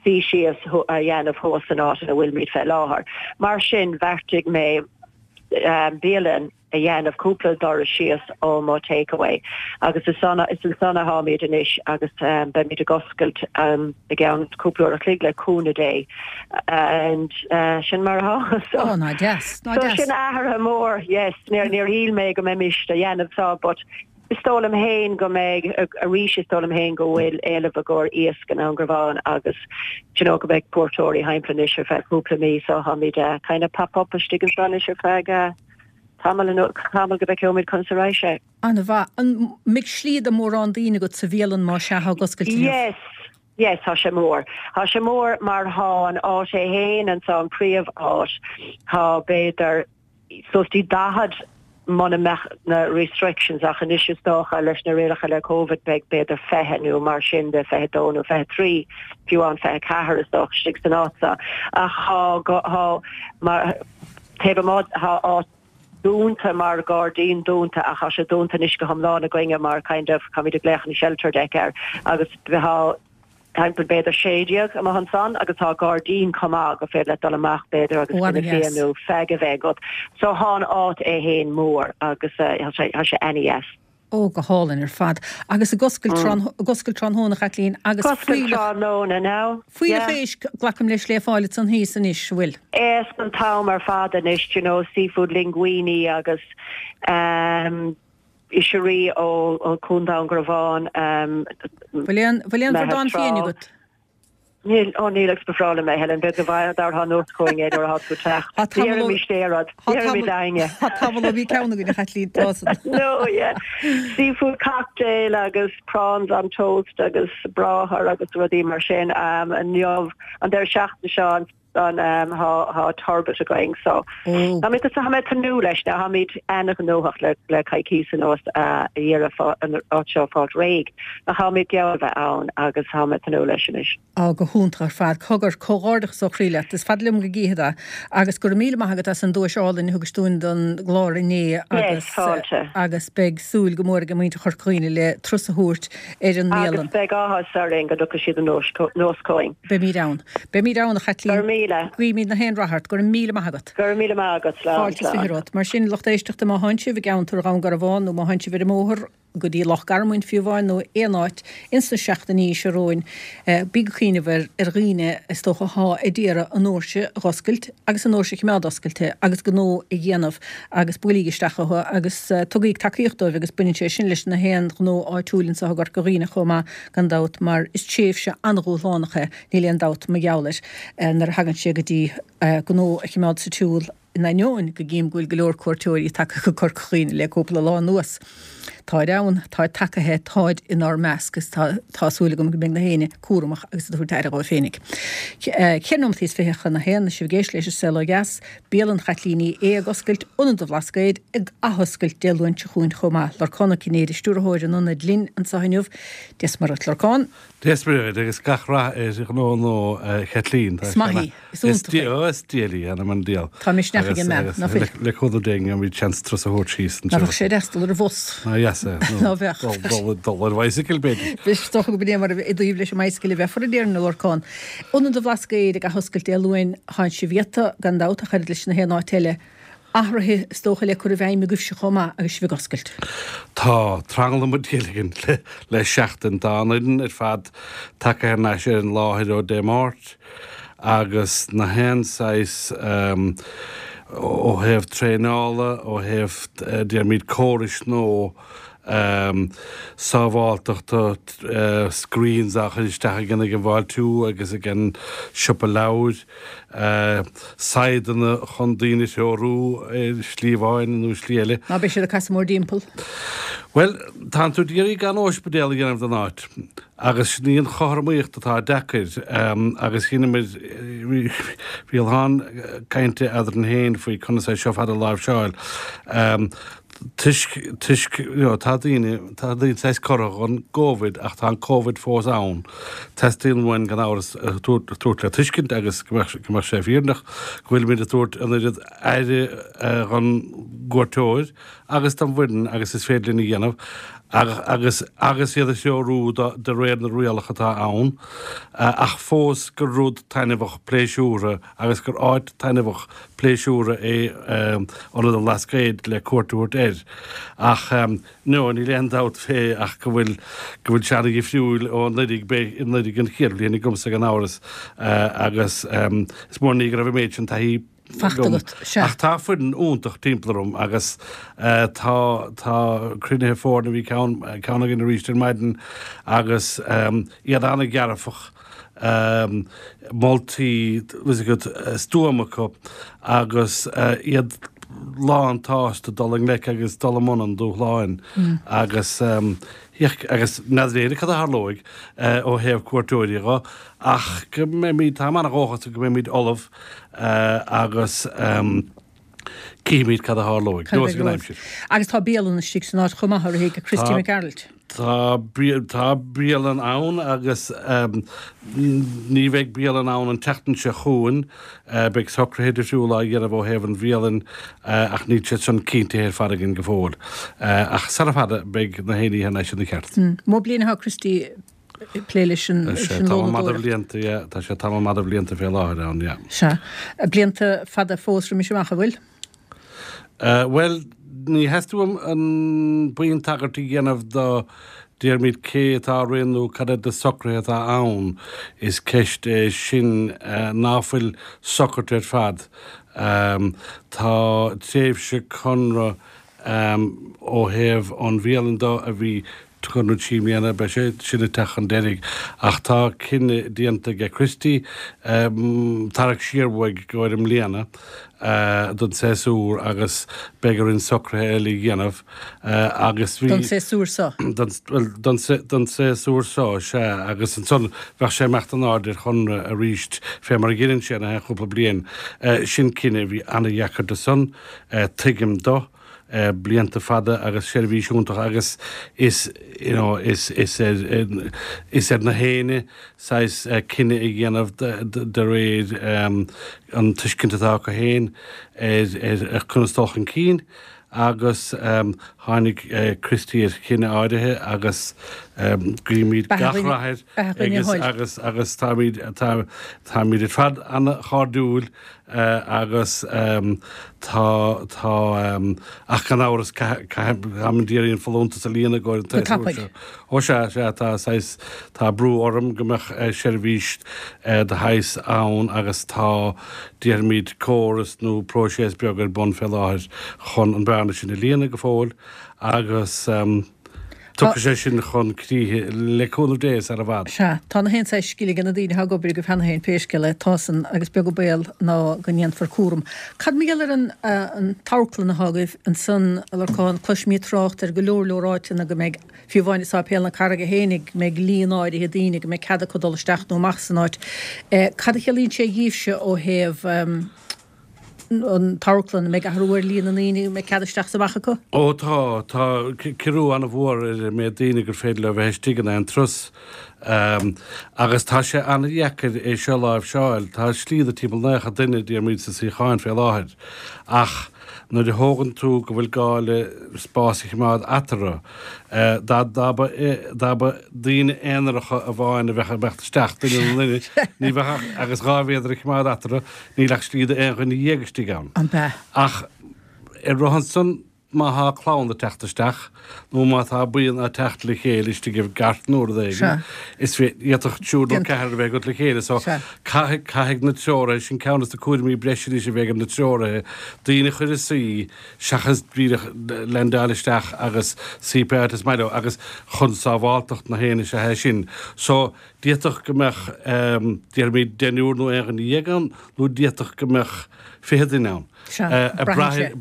suí síos a dhéanamh thuas san áit ina bhfuilimid fé láthair. Mar sin bheartaigh mé um, bialann a dhéanamh cúpla doras síos ó mo takeaway. Agus is ann is ann atáimid anois agus um, beimid ag oscailt um, i gceann cúpla uair a chloig le cúnamh Dé and uh, sin mar atá so,
Ó ná deas ná
so
deas.
sin athrú mór yes níor níor shíl mé go mbeimis a dhéanamh seo but is dóigh liom féin go mbeidh arís is dóigh liom féin go bhfuil éileamh i gcomhair iasc i nDún Garbhán agus you know, go mbeidh cuairteoirí thimpeall anois ar feadh cúpla mí so táimid uh, kind of pop up istigh anseo anois ar feadh uh, tamall tamall go bhfeicfimid conas a raghaidh sé.
An-mhaith an mbeidh slí do mórán daoine agat sa bhialann má sea ag oscailt inniu?
Yes. Yes, tá sé mór. Tá sé mór mar tá an áit é féin anseo an príomháit tá b'fhéidir suas dtí daichead muna mbeadh na restrictions ach anois is dócha leis na rialacha le COVID beidh b'fhéidir fiche nó mar sin de fiche dó nó fiche trí fiú an fiche ceathair is dócha istigh san áit seo. ach tá tá mar taobh amuigh tá áit dúnta mar gairdín dúnta ach tá sé dúnta anois go hiomlán againne mar kind of táimid ag glaoch an shelter deck air agus tá timpeall b'fhéidir sé déag amach ansan agus tá gairdín chomh maith go féidir le dul amach b'fhéidir agus
Ó,
go
an-deas.
nó feig a bheith agat. So tá an áit é féin mór agus uh, tá sé tá sé an-deas.
Ó go hálainn ar fad. Agus ag oscailt ag oscailt tráthnóna Chaitlín agus
Oscailt tráthnóna now.
Fuílleach éisc glacaim leis le fáil ansan thíos anois bhfuil.
Éisc an t-am ar fad anois you know, seafood linguine agus um, oisrí ó ó Contae Dhún Garbhán um,
Bhfuil aon bhfuil aon
Meath
bhradán
trá.
fiáin agat?
Níl ó níl agus b'fhearr liom é Helen be go dar há nóchuing é ar tú teach.
Tá tamall ó-
mí stéad daine.
Tá tamall ó bhí ceann againn a Chaitlín tá.
No, yeah. Seafood cocktail agus prawns on toast agus bráthair agus rudaí mar sin um, inniu an deireadh seachtaine seo an an um, tá tá turbot againn so
Ó
Táimid tá tnúth leis na táimid an-ghnóthach le le coicís anuas a iarraidh an áit seo fáil réidh a táimid geall bheith ann agus táimid tnúth leis anois.
Á go hiontach ar fad cogar comhghairdeachas ó chroí leat is fada liom go gcífead agus go raibh míle maith agat as an duais álainn a thugais dúinn don gclár inné agus
fáilte.
agus beidh súil go mór ag muintir Chorca Dhuibhne le turas a thabhairt ar an
Agus
mbialann.
beidh áthas orainn go dtiocfaidh siad anuas anuas chugainn.
Beimid ann. Beimid ann a Chaitlín.
Gur míle.
Guímid na haon rath ort go raibh míle maith agat.
Gur míle maith agat slán.
Fáilte is fiche romhat. Mar sin lucht éisteachta má thánn sibh i gceantar Dhún Garbhán nó má thánn sibh ar an mbóthar go dtí Loch Garman fiú amháin nó aon áit ins na seachtainí seo romhainn bí ag cuimhneamh ar ar dhaoine is dócha atá ag iarraidh a ndoirse a oscailt agus a ndoirse a choimeád oscailte agus gnó a dhéanamh agus buailíg isteach chucu agus uh, tugaig tacaíocht dóibh agus baineann sé sin leis na haon ghnó áitiúil anseo i gCorca Dhuibhne chomh maith gan dabht mar is tréimhse an-dhúshlánach é níl aon dabht mar gheall air uh, nuair a thagann sé go dtí uh, gnó a choimeád sa tsiúl in ainneoin go gcím go bhfuil go leor cuairteoirí tagtha go Corca Dhuibhne le cúpla lá anuas. Táid ann, tá tagtha táid inár measc agus tá tá súil agam go mbeidh na héinne cúramach agus a dtabhairt aire dóibh féinig. Ceithre nóiméad is fiche chun a haon sibh ag éisteacht leis an Saol Ó Dheas, Bialann Chaitlín Ní Aodha ag oscailt Ionad an Bhlascaoid ag athoscailt Dé Luain seo chugainn chomh maith. Lorcán Ó Cinnéide stiúrthóir an ionaid linn anseo inniu Dia is Muire dhuit Lorcán.
Dia is Muire agus gach rath ar ghnó nua Chaitlín.
Is maith í, is iontach
í. Is diail í an an dial.
Tá misneach ag an mbean, ná fuil?
Le cúnamh Dé an bhí chance turas a thabhairt síos.
Ná bheadh sé deas dul ar bhus.
Ná yes
Ná bheadh.
Dul ar bicycle b'fhéidir.
Is dócha go b'é mar i dtaobh leis an mbicycle a bheifear a déarfainn a Lorcán. Ionad an Bhlascaoid ag athoscailt Dé Luain thánn sibh iata gan dabht ach oiread leis na haon áit eile. Athruithe is dócha le cur i bhfeidhm agaibhse chomh maith agus sibh ag oscailt.
Tá tranglam an diail le, le seachtain tá an fhoireann ar fad tagtha thar n-ais ar an láthair ó Dé Máirt agus na haon saghas um, ó thaobh traenála ó thaobh uh, déarfaimid córais nó sábháilteachta, screens á chur isteach againn ag an bhfáiltiú agus ag an siopa leabhair, saigheadanna chun daoine a threorú ar shlí amháin nó slí eile.
Ná beidh siad ag casadh mórthimpeall?
Bhuel, tánn tú d'iarraidh gan óispidéal a dhéanamh den áit agus sin í an chothromaíocht atá deacair agus dheineamair, bhí a lán cainte eadrainn féin faoi conas é seo fad a láimhseáil. Toisc, toisc, you know, tá daoine, tá daoine saghas curtha dhon gCovid ach tá an Covid fós ann. Teastaíonn uainn gan amhras a tabhairt le tuiscint agus go mbeadh, go mbeadh sé fírinneach go bhfuilimid ag tabhairt an oiread aire dhon gcuairteoir agus don bhfoireann agus is féidir linn a dhéanamh agus, agus iad a threorú de réir na rialacha atá ann ach fós gur rud taitneamhach pléisiúrtha agus gur áit taitneamhach pléisiúrtha é Ionad an Bhlascaoid le cuairt a thabhairt air. Ach no, níl aon dabht fé ach go bhfuil go bhfuil sé ana-dhifriúil ó anuraidh, beidh anuraidh an chéad bhliain agamsa gan amhras agus is mór an ní go raibh an méid sin taithí
fachta agat. Sea.
Ach tá foireann iontach timpeall orm agus tá tá cruinnithe foirne, bhí ceann ceann againn arís ar maidin agus iad ana-dhearfach. moltaí stuama acu agus iad lán tsásta dul i ngleic agus dul i mbun an dúshláin agus agus n'fheadar éinne cad a tharlóidh ó thaobh cuairteoirí dho ach go mbeimid, táim ana-dhóchasach go mbeimid ullamh agus cífimid cad a tharlóidh. Neosfaidh an aimsir.
Agus tá bialann istigh san áit chomh maith, a rith ag Christy Mac Gearailt.
Tá tá bialann ann agus ní bheidh bialann ann an tseachtain seo chugainn. Beidh socruithe difriúla á dhéanamh ó thaobh an bhialann ach níl siad sin cinntithe ar fad againn go fóill. Ach sara fada beidh na haon ní thar n-ais ina cheart.
Mó bliain atá Christy ag plé leis an
Tá sé tamall maith de bhlianta, yeah. Tá sé tamall maith de bhlianta fé láthair ann, yeah.
Sea. Blianta fada fós roimis amach, an bhfuil?
Bhuel, ní theastaíonn uaim an buíon tagairt a dhéanamh do déarfaimid cé atá á rith nó cad iad na socruithe atá ann. Is ceist é sin ná fuil socraithe ar fad. Tá tréimhse conradh ó thaobh an bhialann do a bhí conradh trí mbliana, beidh sé sin ag teacht chun deiridh. Ach tá cinneadh déanta aige Christy tarrac siar uaidh i gcomhair i mbliana don séasúr agus beidh orainn socruithe eile a dhéanamh agus bhí.
Don séasúr seo?
Bhuel, don séasúr seo, sea. Agus ansan bheadh sé ag imeacht in airde ar chonradh arís fé mar a dheineann sé na haon chúpla bliain. Sin cinneadh a bhí ana-dheacair do san, tuigim do. blianta fada agus seirbhís iontach agus is you know is is ar is ar na héinne saghas cinneadh a dhéanamh de réir an tuiscint atá acu féin ar ar conas dul chun cinn agus tháinig Christy ar chinneadh áirithe agus guímid gach rath air agus agus agus táimid táimid ar fad ana-chairdiúil agus tá, tá, ach gan amhras táimid d'iarraidh an folúntas a líonadh i gcomhair an tséasúir seo. Ó sea, sea, tá saghas, tá brú orm go mbeadh seirbhís de shaghas ann agus tá, déarfaimid, córas nó próiseas beag ar bun fé láthair chun an bearna sin a líonadh go fóill agus. Tiocfaidh sé sin chun críche, le cúnamh Dé, sar i bhfad.
Sea, tá na haon saghas scil ag na daoine atá ag obair agaibh cheana féin, pé scéal é, tá san, agus beag an baol ná go ndéanfar cúram. Cad mar gheall ar an an t-amharclann atá agaibh ansan, a Lorcáin, cloisimid trácht ar go leor leor áiteanna go mbeidh, fiú amháin i Sáipéal na Carraige fhéinig, go mbeidh líon áirithe daoine, go mbeidh cead acu dul isteach nó amach san áit. Cad a chiallaíonn sé dhíbhse ó thaobh. an t-amharclann, an mbeidh athrú ar líon na ndaoine a mbeidh cead isteach is amach acu?
Ó tá, tá ciorrú an-mhór ar an méid daoine gur féidir leo a bheith istigh in aon turas. Agus tá sé an-dheacair é seo a láimhseáil. Tá slí do timpeall naocha duine, déarfaimid, sna suíocháin fé láthair. Ach nuair a thógann tú go bhfuil gá le spás a choimeád eatarthu, dá dá mba dá mba daoine aonaracha amháin a bheadh ag imeacht isteach, duine nó duine, ní bheadh ach agus dhá mhéadar a choimeád eatarthu, níl ach slí d'aon dhuine dhéag istigh ann.
An ea?
Ach ar rith ansan, má thá clann ag teacht isteach nó má tá buíon ag teacht le chéile istigh i gcairt nó rud éigin, is d'fhéadfadh triúr nó ceathrar a bheith agat le chéile. So caithfidh, caithfidh na treoraithe, sin ceann des na cúraimí breise anois a bheidh ar na treoraithe, daoine a chur ina suí seachas díreach leaindeáil isteach agus suí pé áit is maith leo agus chun sábháltacht na héinne is ea é sin. So d'fhéadfadh go mbeadh, déarfaimid, deichniúr nó aon dhuine dhéag ann nó d'fhéadfadh go mbeadh fiche duine ann. Ag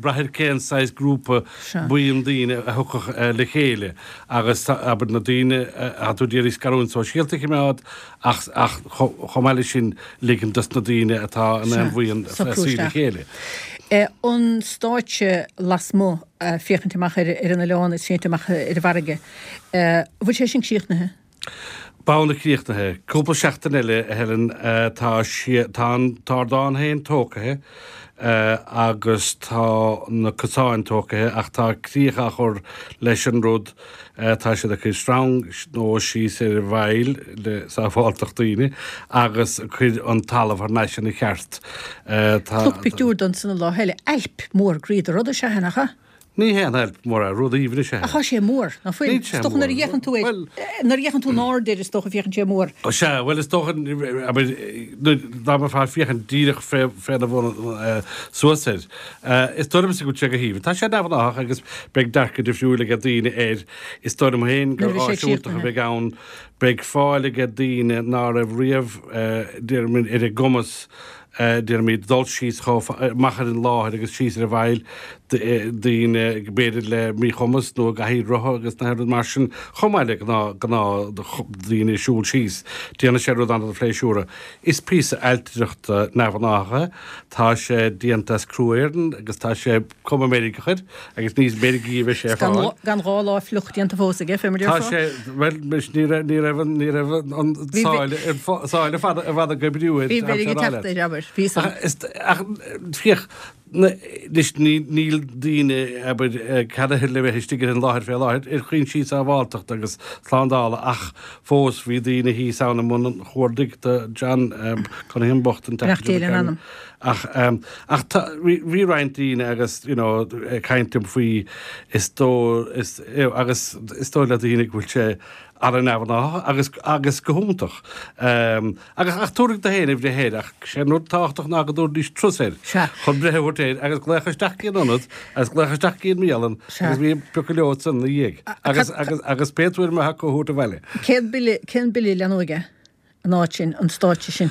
brath ar cén saghas grúpa buíon daoine a thiocfadh le chéile agus abair na daoine atá tú d'iarraidh scarúint sóisialta a choimeád ach chomh maith leis sin ligean dos na daoine atá in aon bhuíon suí le chéile.
An stáitse lasmuigh, féachaint amach ar an oileán is féachaint amach ar an bhfarraige, an bhfuil sé sin críochnaithe?
Beagnach críochnaithe. Cúpla seachtain eile, a Helen. Tá tá an t-ardán féin tógtha agus tá na cosáin tógtha ach tá críoch á chur leis an rud. Tá siad ag cur sreang nua síos ar an bhfaill le sábháilteacht daoine agus ag cur an talamh thar n-ais ina cheart.
Tá. Chonac pictiúr de ansan an lá eile. Ailp mór groí de rud is ea é, nach ea?
Ní haon ailp mór é, rud aoibhinn is ea é.
Ach tá sé mór, ná fuil?
Níl sé
Is dócha
mór.
nuair a fhéachann tú air,
Bhuel.
nuair a fhéachann tú in airde air is dócha féachann sé mór.
Ó sea, bhuel is dócha, abair, nuair, dá mbeifeá ag féachaint díreach fé, féna bhun suas air. Is dóigh liomsa go bhfuil sé go haoibhinn. Tá sé neamhghnách agus beidh dearcadh difriúil aige daoine air. Is dóigh liom féin gur
Nuair a bheidh sé
áis iontach a
críochnaithe.
bheidh ann. Beidh fáil aige daoine ná raibh riamh, déarfainn, ar a gcumas, déarfaimid, dul síos chomh amach ar an láthair agus síos ar an bhfaill, daoine b'fhéidir le míchumas nó i gcathaoir rotha agus na rud mar sin, chomh maith le gnáth gnáthdhaoine ag siúl síos. Déanfaidh sé rud an-phléisiúrtha. Is píosa ailtireachta neamhghnách é. Tá sé déanta as crú Éireann agus tá sé cuma Meiriceach air agus níos Meirgí a bheidh sé ar fáil.
Gan dhá lá fliuch déanta fós aige, fé mar
Tá
déarfá.
sé, bhuel, ní raibh, ní raibh an, ní raibh an
Bhí,
sáile, an sáile fada, i bhfad ag oibriú air,
bhí
tá
Meirg
sé
ag
rá
teacht
leat.
air, abair, bhí san.
Ach, is, ach, féach, na, anois ní, níl daoine, abair, ceadaithe le bheith istigh ar an láthair fé láthair ar chúinsí sábháilteachta agus slándála ach fós bhí daoine thíos ann i mbun an chuardaigh do John Cunningham bocht an
Beannacht
tseachtain
Dé
seo
lena
caite.
anam.
Ach, ach tá, bhí, bhí roinnt daoine agus, you know, ag caint liom faoi is dóigh, is, agus is dóigh le daoine go bhfuil sé an-neamhghnách agus, agus go hiontach. Agus, ach tabharfaidh tú féin do bhreith air, ach sé an rud tábhachtach ná go dtabharfaidís turas air
Sea.
chun breith a thabhairt air agus glaoch isteach go dtí an ionad agus glaoch isteach go dtí an mbialann
Sea.
agus bhí piocadh leo ansan ina dhiaidh. Agus, agus, agus pé tuairim atá acu a thabhairt abhaile.
Cén bille, cén bille a leanóidh é? An áit sin, an stáitse sin.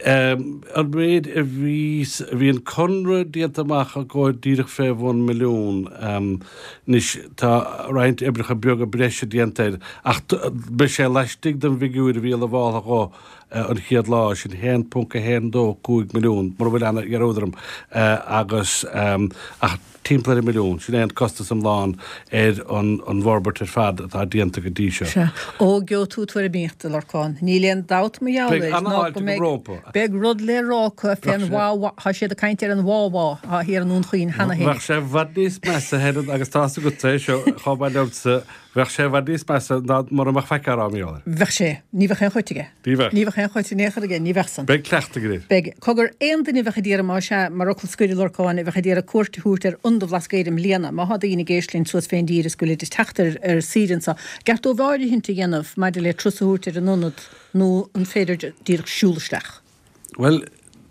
An méid a bhí, bhí an conradh déanta amach i gcomhair díreach fé bhun milliún. Anois tá roinnt oibreacha beaga breise déanta air ach beidh sé laistigh den bhfigiúir a bhí lamháltha dhó an chéad lá, sin haon ponc a haon dó cúig milliún, mura bhfuil ana-dhearúd orm, agus ach timpeall ar an milliún, sin é an costas iomlán ar an an bhforbairt ar fad atá déanta go dtí seo.
Sea. Ó, gheobhaidh tú tuairimíocht, a Lorcáin. Níl aon dabht mar gheall
Beidh
air ná
an-fháilte
go mbeidh,
rompu.
beidh rud le rá acu fén
Bheadh sé.
wah-wah, tá siad ag caint ar an wah-wah atá thiar i nDún Chaoin cheana féin.
Bheadh sé i bhfad níos measa, Helen, agus tá's agat é seo chomh maith liomsa, Bheadh sé i bhfad níos measa ná mura mbeadh faic á rá mar gheall air.
Bheadh sé. Ní bheadh aon chuid aige.
Ní bheadh.
Ní bheadh aon chuid in aon chor aige, ní bheadh san.
Beidh cleachtadh aige air.
Beidh. Cogar, aon duine a bheadh ag iarraidh, más ea, mar fhocal scoir a Lorcáin, a bheadh ag iarraidh cuairt a thabhairt ar Ionad an Bhlascaoid i mbliana, má thá daoine ag éisteacht linn suas fén dtír is go bhfuilid ag teacht ar ar saoire anso, gceart dóibh áirithint a dhéanamh maidir le turas a thabhairt ar an ionad nó an féidir díreach siúl isteach?
Bhuel,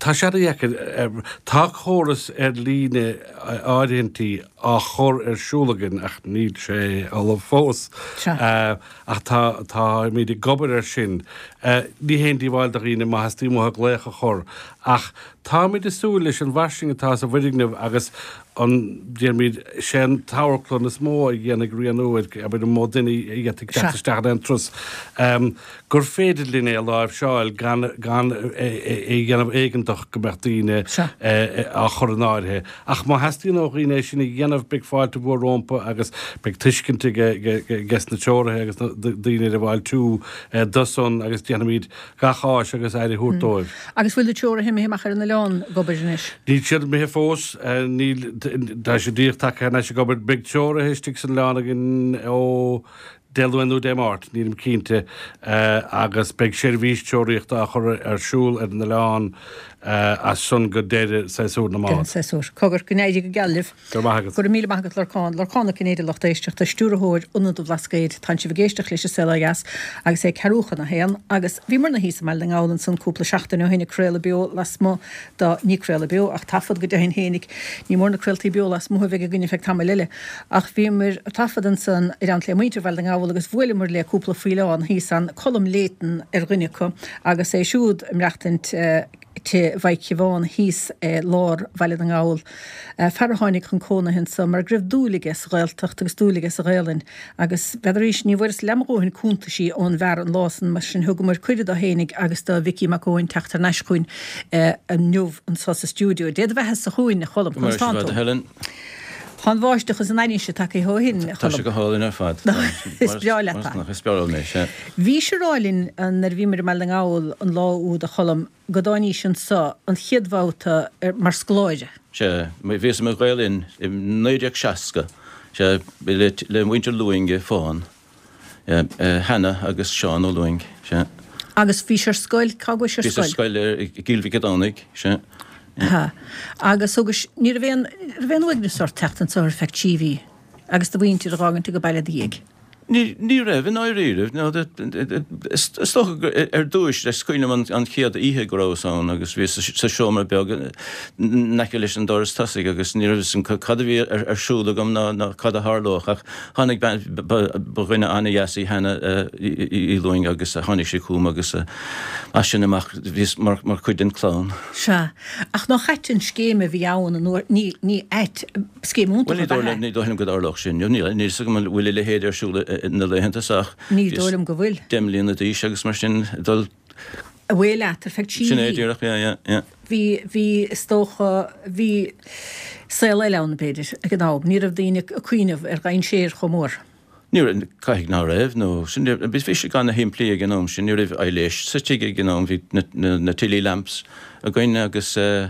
tá sé an-dheacair. Tá córas ar líne áirithintí á chur ar siúl againn ach níl sé ullamh fós. Ach tá, táimid ag obair air sin. Ní haon díobháil do dhaoine má theastaíonn uathu glaoch a chur ach táimid ag súil leis an bhfairsinge atá sa bhfoirgneamh agus an, déarfaimid, sé an t-amharclann is mó a dhéanfaidh rianú ar, abair, an mó duine a d'fhéadfadh teacht isteach in aon turas, gur féidir linn é a láimhseáil gan, gan é a dhéanamh éigeantach go mbeadh daoine á chur in áirithe. Ach má theastaíonn ó dhaoine é sin a dhéanamh beidh fáilte mhór rompu agus beidh tuiscint aige na treoraithe agus na daoine ar an bhfáiltiú dó san agus déanfaimid gach áis agus aire a thabhairt dóibh.
Agus bhfuil na treoraithe imithe amach ar an oileán ag obair anois?
Níl siad imithe fós. Níl, tá siad díreach tagtha thar n-ais ag obair. Beidh treoraithe istigh san oileán againn ó Dé Luain nó Dé Máirt, nílim cinnte, agus beidh seirbhís treoraíochta á chur ar siúl ar an oileán as san go deireadh séasúr na
Deireadh
mbád.
séasúr. Cogar, go n-éirí go geal libh.
Go raibh maith agat.
Go raibh míle maith agat Lorcán. Lorcán Ó Cinnéide lucht éisteachta, Stiúrthóir Ionad an Bhlascaoid. Tánn sibh ag éisteacht leis an Saol Ó Dheas agus é ceathrú chun a haon agus bhíomarna thíos i mBaile na nGall ansan cúpla seachtain ó shin ag craoladh beo lasmuigh do, ní craoladh beo ach taifead go deimhin fhéinig, ní mór na craoltaí beo lasmuigh a bheidh againn ar feadh tamaill eile, ach bhíomar ag taifead ansan i dteannta le muintir Bhaile na nGall agus bhuaileamar le cúpla faoileán thíos ann, Colm Leighton ar dhuine acu agus é siúd ag maireachtaint tigh Mhaidhc Shiobháin thíos i lár Bhaile na nGall. Fear a tháinig chun cónaithe anso mar go raibh dúil aige sa Ghaeltacht agus dúil aige sa Ghaelainn agus b'fhéidir arís ní bhfuaireas leath mo dhóthain cuntaisí ón bhfear an lá san mar sin thugamar cuireadh dó fhéinig agus do Mhicí Mac Eoin teacht thar n-ais chugainn inniu anso sa stiúideo. Dé do bheatha-sa chugainn, a Choilm.
Go maire
Conas tánn
sibh,
tú?
a Helen.
Tá an bháisteach is an ainnise tagtha ó shin, a
Tá sé
Choilm.
go hálainn ar fad.
Is breá leat é.
Is breá liom é, sea.
Bhís ag rá linn nuair a bhíomar i mBaile na nGall an lá úd, a Choilm, go dtáinís anso an chéad bhabhta mar scoláire.
Sea, bhíos i mo Ghael Linn i naoi déag seasca, sea, le le muintir Lúing i Fán, Hannah agus Seán Ó Lúing, sea.
Agus bhís ar scoil, cá gcuais ar
Bhíos ar
scoil?
scoil i gCill Mhic a' Domhnaigh, sea.
Ha. Agus thugais, ní raibh aon, raibh aon uaigneas ort teacht anso ar feadh trí mhí agus do mhuintir a dh'fhágaint age baile i do dhiaidh?
Ní, ní raibh, i ndáiríribh. No, is is dócha gur ar dtúis, is cuimhin liom an, an chéad oíche go rabhas ann agus bhíos sa, sa seomra beag in aice leis an doras tosaigh agus ní raibh fhios agam cad a bhí ar, ar siúl agam ná, ná cad a tharlódh ach tháinig bean, ba, ba dhuine an-dheas í Hannah Uí Lúing agus tháinig sí chugam agus as sin amach bhíos mar, mar chuid den chlann.
Sea. Ach nach ait an scéim a bhí ann an uair, ní, ní ait, scéim
Bhuel,
iontach
ní
ab
dóigh
ea
liom, ní dóigh liom go dtarlódh sin. Níl, níl fhios agam an bhfuil a leithéid ar siúl na laethanta seo ach
Ní dóigh liom go bhfuil.
deich mbliana d'aois agus mar sin dul
Away leat ar feadh trí
Sin é
mhí.
díreach, yeah, yeah, yeah.
Bhí, bhí, is dócha, bhí saol eile ann, b'fhéidir, ag an am. Ní raibh daoine ag cuimhneamh ar dhainséar chomh mór.
Ní raibh, caithfidh ná raibh, nó sin, bhí sé ana-shimplí ag an am sin, ní raibh aibhléis sa tigh ag an am, bhí na, na, na Tilley lamps againn agus eh,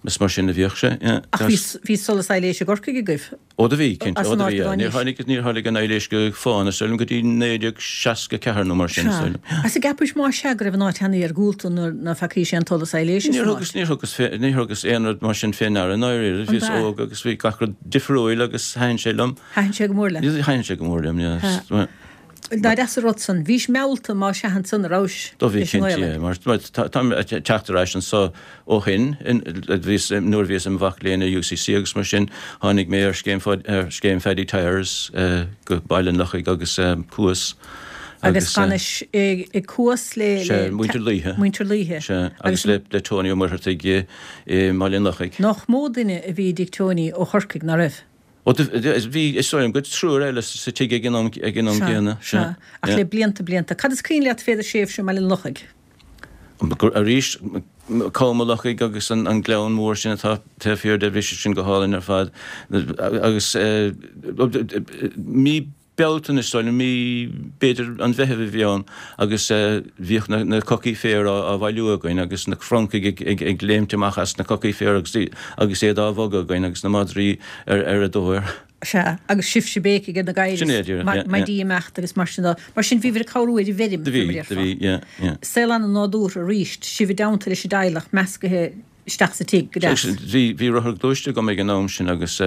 Is mar sin a bhíodh sé, yeah.
Ach bhí, bhí solas aibhléise i gCorcaigh agaibh?
Ó do bhí, cinnte,
As
ó
an
do
áit
bhí,
go
yeah. Níor
dtáinís.
tháinig, níor tháinig an aibhléis go Fán, is dóigh liom, go dtí naoi déag seasca ceathair nó mar sin, is
Sea.
dóigh liom, yeah.
Agus an gceapaís más ea go raibh an áit an-iargúlta nuair ná feacaís aon tsolas aibhléise
Níor
san
thugas,
áit?
níor thugas fé, níor thugas aon rud mar sin fé ndeara, i ndáiríre.
An
Bhíos
b'ea?
óg agus bhí gach rud difriúil agus thaitin sé liom.
Thaitin sé go mór leat?
Thaitin sé go mór liom, yeah.
Sea. Nach deas an rud san. Bhís meallta más ea ansan a rabhais
Do bhí
leis an
cinnte,
nGaelainn.
yeah, mar mar tá táim ag teacht ar ais anso ó shin, in, bhíos, nuair a bhíos im mhac léinn i UCC agus mar sin, tháinig mé ar scéim ar scéim Phaddy Tyers go Baile an Lochaigh agus Cuas
Agus
agus
d'fhanais i i Cuas le
Sea,
le
Muintir Laoithe.
Muintir Laoithe.
Sea, agus
Agus
le le Tony Ó Muircheartaigh i i mBaile an Lochaigh.
Nach mó duine a bhí i dtigh Tony ó Chorcaigh, ná raibh?
Ó, bhí, is dóigh liom, go triúr eile sa tigh ag an am ag an am
Sea,
gcéanna.
sea.
Sea,
Ach
yeah.
le blianta, blianta. Cad is cuimhin leat fé do thréimhse i mBaile an Lochaigh?
Arís, Com an Lochaigh agus an an gleann mór sin atá taobh thiar de, bhí sé sin go hálainn ar fad. Agus mí Bealtaine, is dóigh liom, mí, b'fhéidir an Mheithimh a bhí ann agus bhíodh na na cocaí féir á á bhailiú againn agus na francaigh ag ag ag léimt amach as na cocaí féir agus agus iad á bhogadh againn agus na madraí ar ar a dtóir.
Sea, agus sibhse ag béicigh ar na gadhair
Sin é,
is
díreach,
ma
yeah, yeah.
maidí ag imeacht agus mar sin de. Mar sin bhíobhair ag cabhrú ar an bhfeirm,
Do bhí,
mar a
do
déarfá.
bhí, yeah, yeah.
Saol an-nádúrtha arís, sibh i dteannta leis an dteaghlach meascaithe isteach sa tigh go deas.
Bhí bhí rothar gluaiste agam ag an am sin agus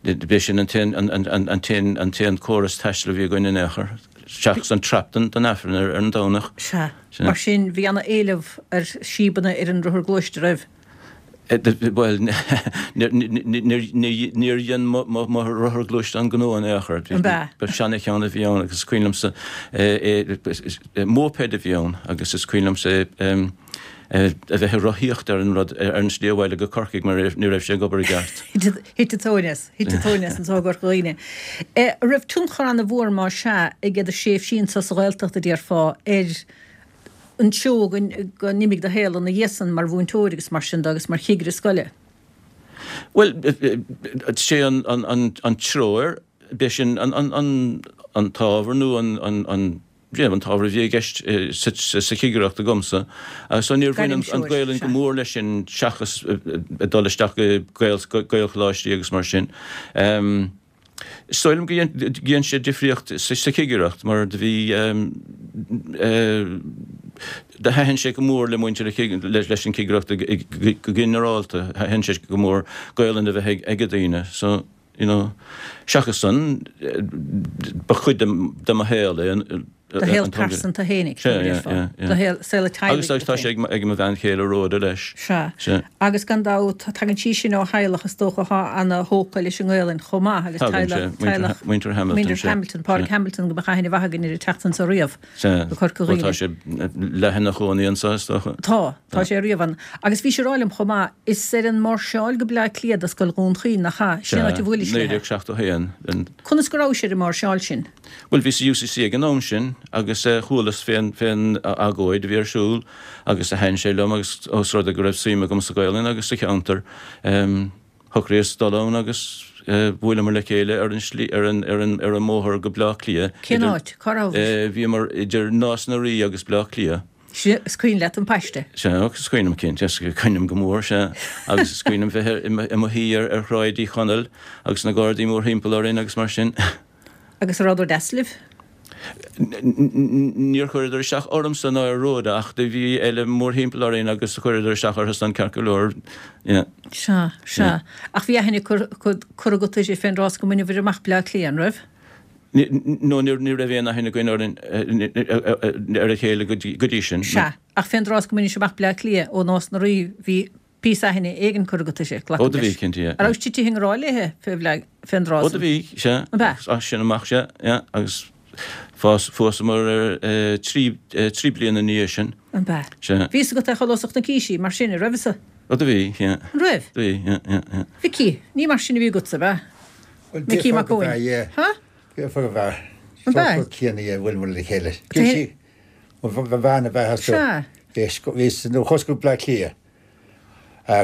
b'é sin an t-aon an an an t-aon an t-aon córas taistil a bhí againn in aon chor, seachas an trap don don Aifreann ar ar an Domhnach.
Sea.
Sea.
Mar sin bhí ana éileamh ar síobanna ar an rothar gluaiste, raibh?
Bhuel, níor dhein mo mo rothar gluaiste an gnó in aon chor.
An b'ea?
Ba seana-cheann a bhí ann agus is cuimhin liomsa móipéad a bhí ann agus is cuimhin liomsa a bheith ag rothaíocht ar an rud ar an slí abhaile go Corcaigh mar ní raibh sé ag obair i gceart.
Thit an tóin as, thit an tóin as anso i gCorca Dhuibhne. An raibh tionchar ana-mhór más ea ag do thréimhsí anso sa Ghaeltacht a déarfá ar an treo go n-imigh do shaol ina dhiaidh san mar mhúinteoir agus mar sin de agus mar chigire scoile?
Bhuel, sé an treoir, b'é sin an t-ábhar nó an an t-ábhar a bhí i gceist sa chigireacht agamsa. So níor bhain an Ghaelainn go mór leis sin seachas dul isteach go Gaelcholáistí agus mar sin. Is dóigh liom go dhein sé difríocht sa chigireacht mar do bhí do thaitin sé go mór le muintir leis an chigireacht go ginearálta, thaitin sé go mór Gaolainn a bheith ag daoine. So, you know, seachas san, ba chuid de mo shaol é.
Do shaol pearsanta fhéinig, do shaol saol teaghlaigh.
Agus tá sé ag mo bhean chéile Rhoda leis.
Sea. Agus gan dabht, tagann sí sin ó theaghlach is dócha atá ana-thógtha leis an nGaelainn chomh maith agus teaghlach, teaghlach
Muintir Hamilton.
Muintir Hamilton, Pádraig Hamilton go mbeadh aithne mhaith againn air ag teacht anso riamh go Corca
Dhuibhne.
Bhuel
tá sé leath ina chónaí anso is dócha.
Tá, tá sé riamh ann. Agus bhís ag rá liom chomh maith, is ar an máirseáil go Bleá Cliath do Scoil Dhún Chaoin, nach ea? Sin an áit a bhuailis
léi. Naoi déag seachtó a haon.
Conas go rabhais ar an máirseáil sin?
Bhuel, bhíos i UCC ag an am sin agus chualas fén fén agóid a bhí ar siúl agus do thaitin sé liom agus ós rud é go raibh suim agam sa Ghaelainn agus sa cheantar, shocraíos dul ann agus bhuaileamar le chéile ar an slí, ar an, ar an, ar an mbóthar go Bleá Cliath.
Cén áit? Cá rabhais?
Bhíomar idir Nás na Rí agus Bleá Cliath.
Sea, is cuimhin leat an paiste?
Sea, is cuimhin liom cinnte, is cuimhin liom go mór, sea. Agus is cuimhin liom bheith i mo shuí ar Shráid Uí Chonaill agus na Gardaí mórthimpeall orainn agus mar sin.
Agus an rabhadar deas libh?
Níor chuireadar isteach ormsa ná ar Rhoda ach do bhí eile mórthimpeall orainn agus chuireadar isteach orthu san ceart go leor, yeah.
Sea, sea. Ach bhí aithne curtha agat uirthi fén dtráth is go mbaineabhair amach Bleá Cliath, an raibh?
No, ní raibh aon aithne againn orainn ar a chéile go dtí sin.
Sea, ach fén dtráth is go mbainis amach Bleá Cliath ó Nás na Rí bhí píosa aithne éigin curtha agat uirthi,
glacaim leis. Ó do bhí, cinnte, yeah.
An rabhais titithe i ngrá léithe fé Bhleá, fén dtráth
san? Ó do bhí, sea.
An b'ea?
As sin amach, sea, yeah, agus phós, phósamar trí, trí bliana ina dhiaidh sin.
An b'ea?
Sea.
Bhí fhios agat é chomh luath is a chonaicis í, mar sin, an raibh fhios?
Ó do bhí, yeah.
An raibh?
Do bhí, yeah, yeah, yeah.
Mhicí, ní mar sin a bhí agatsa, ab ea?
Bhuel,
Micí
déarfá
Mac
go
Eoin.
b'ea, yeah.
Ha?
Déarfá go b'ea.
An b'ea?
Sórt céanna, yeah, bhuaileamar le chéile. Bhí sí, bhuel, ba bhean ab ea as
Sea.
Bhí, bhí, nuair a chuas go Bleá Cliath,